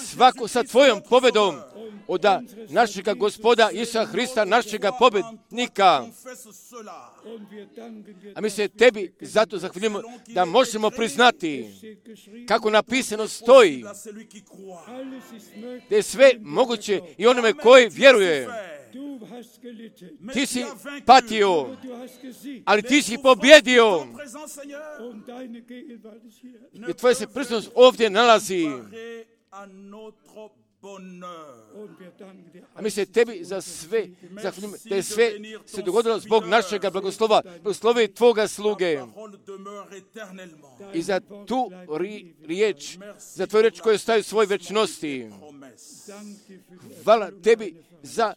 Svako sa tvojom pobjedom od našega Gospoda Isusa Hrista, našega pobjednika. A mi se tebi zato zahvaljujemo da možemo priznati kako napisano stoji da je sve moguće i onome koji vjeruje. Ti si patio, ali ti si pobjedio. I tvoja se prisutnost ovdje nalazi. A mi se tebi za sve zahvaljujemo da je sve se dogodilo zbog našega blagoslova, blagoslovi tvoga sluge. I za tu ri, riječ, za tvoju riječ koju staje u svoj večnosti. Hvala tebi za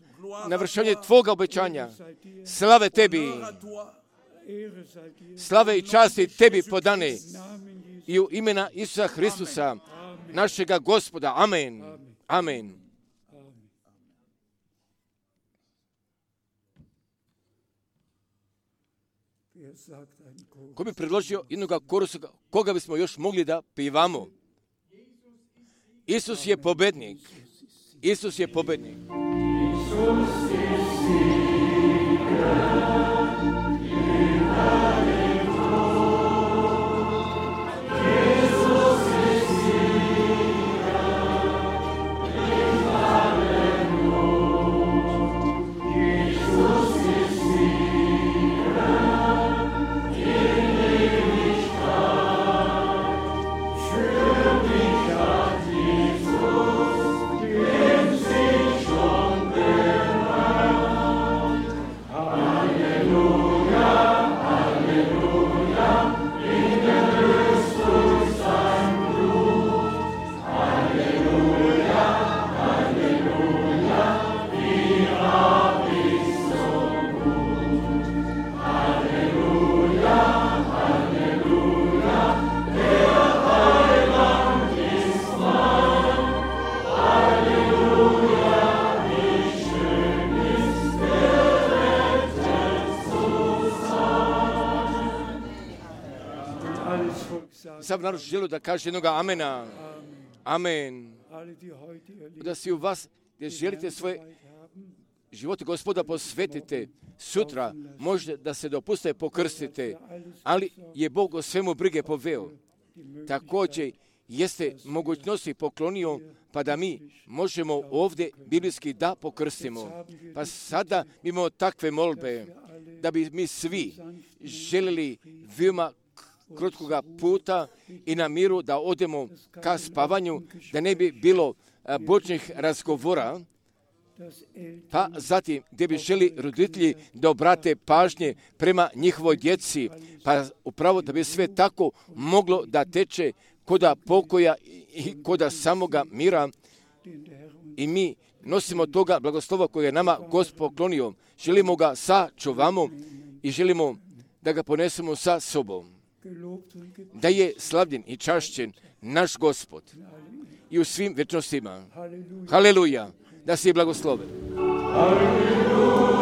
navršanje tvoga obećanja. Slave tebi. Slave i časti tebi podane. I u imena Isusa Hristusa, našega Gospoda. Amen. Amen. Ko bi predložio jednog korusa, koga bismo još mogli da pivamo? Isus je pobednik. Isus je pobednik. Isus je Sav narod želi da kaže jednoga amena. Amen. Da si u vas, gdje želite svoje živote Gospoda posvetite, sutra možete da se dopuste pokrstite, ali je Bog o svemu brige poveo. Također jeste mogućnosti poklonio, pa da mi možemo ovdje biblijski da pokrstimo. Pa sada imamo takve molbe, da bi mi svi željeli veoma krotkoga puta i na miru da odemo ka spavanju, da ne bi bilo bočnih razgovora, pa zatim gdje bi želi roditelji da obrate pažnje prema njihovoj djeci, pa upravo da bi sve tako moglo da teče koda pokoja i koda samoga mira. I mi nosimo toga blagoslova koje je nama Gospod poklonio. Želimo ga sačuvamo i želimo da ga ponesemo sa sobom. Da je slavljen i čašćen naš Gospod i u svim večnostima. Haleluja, da si blagosloven. Haleluja,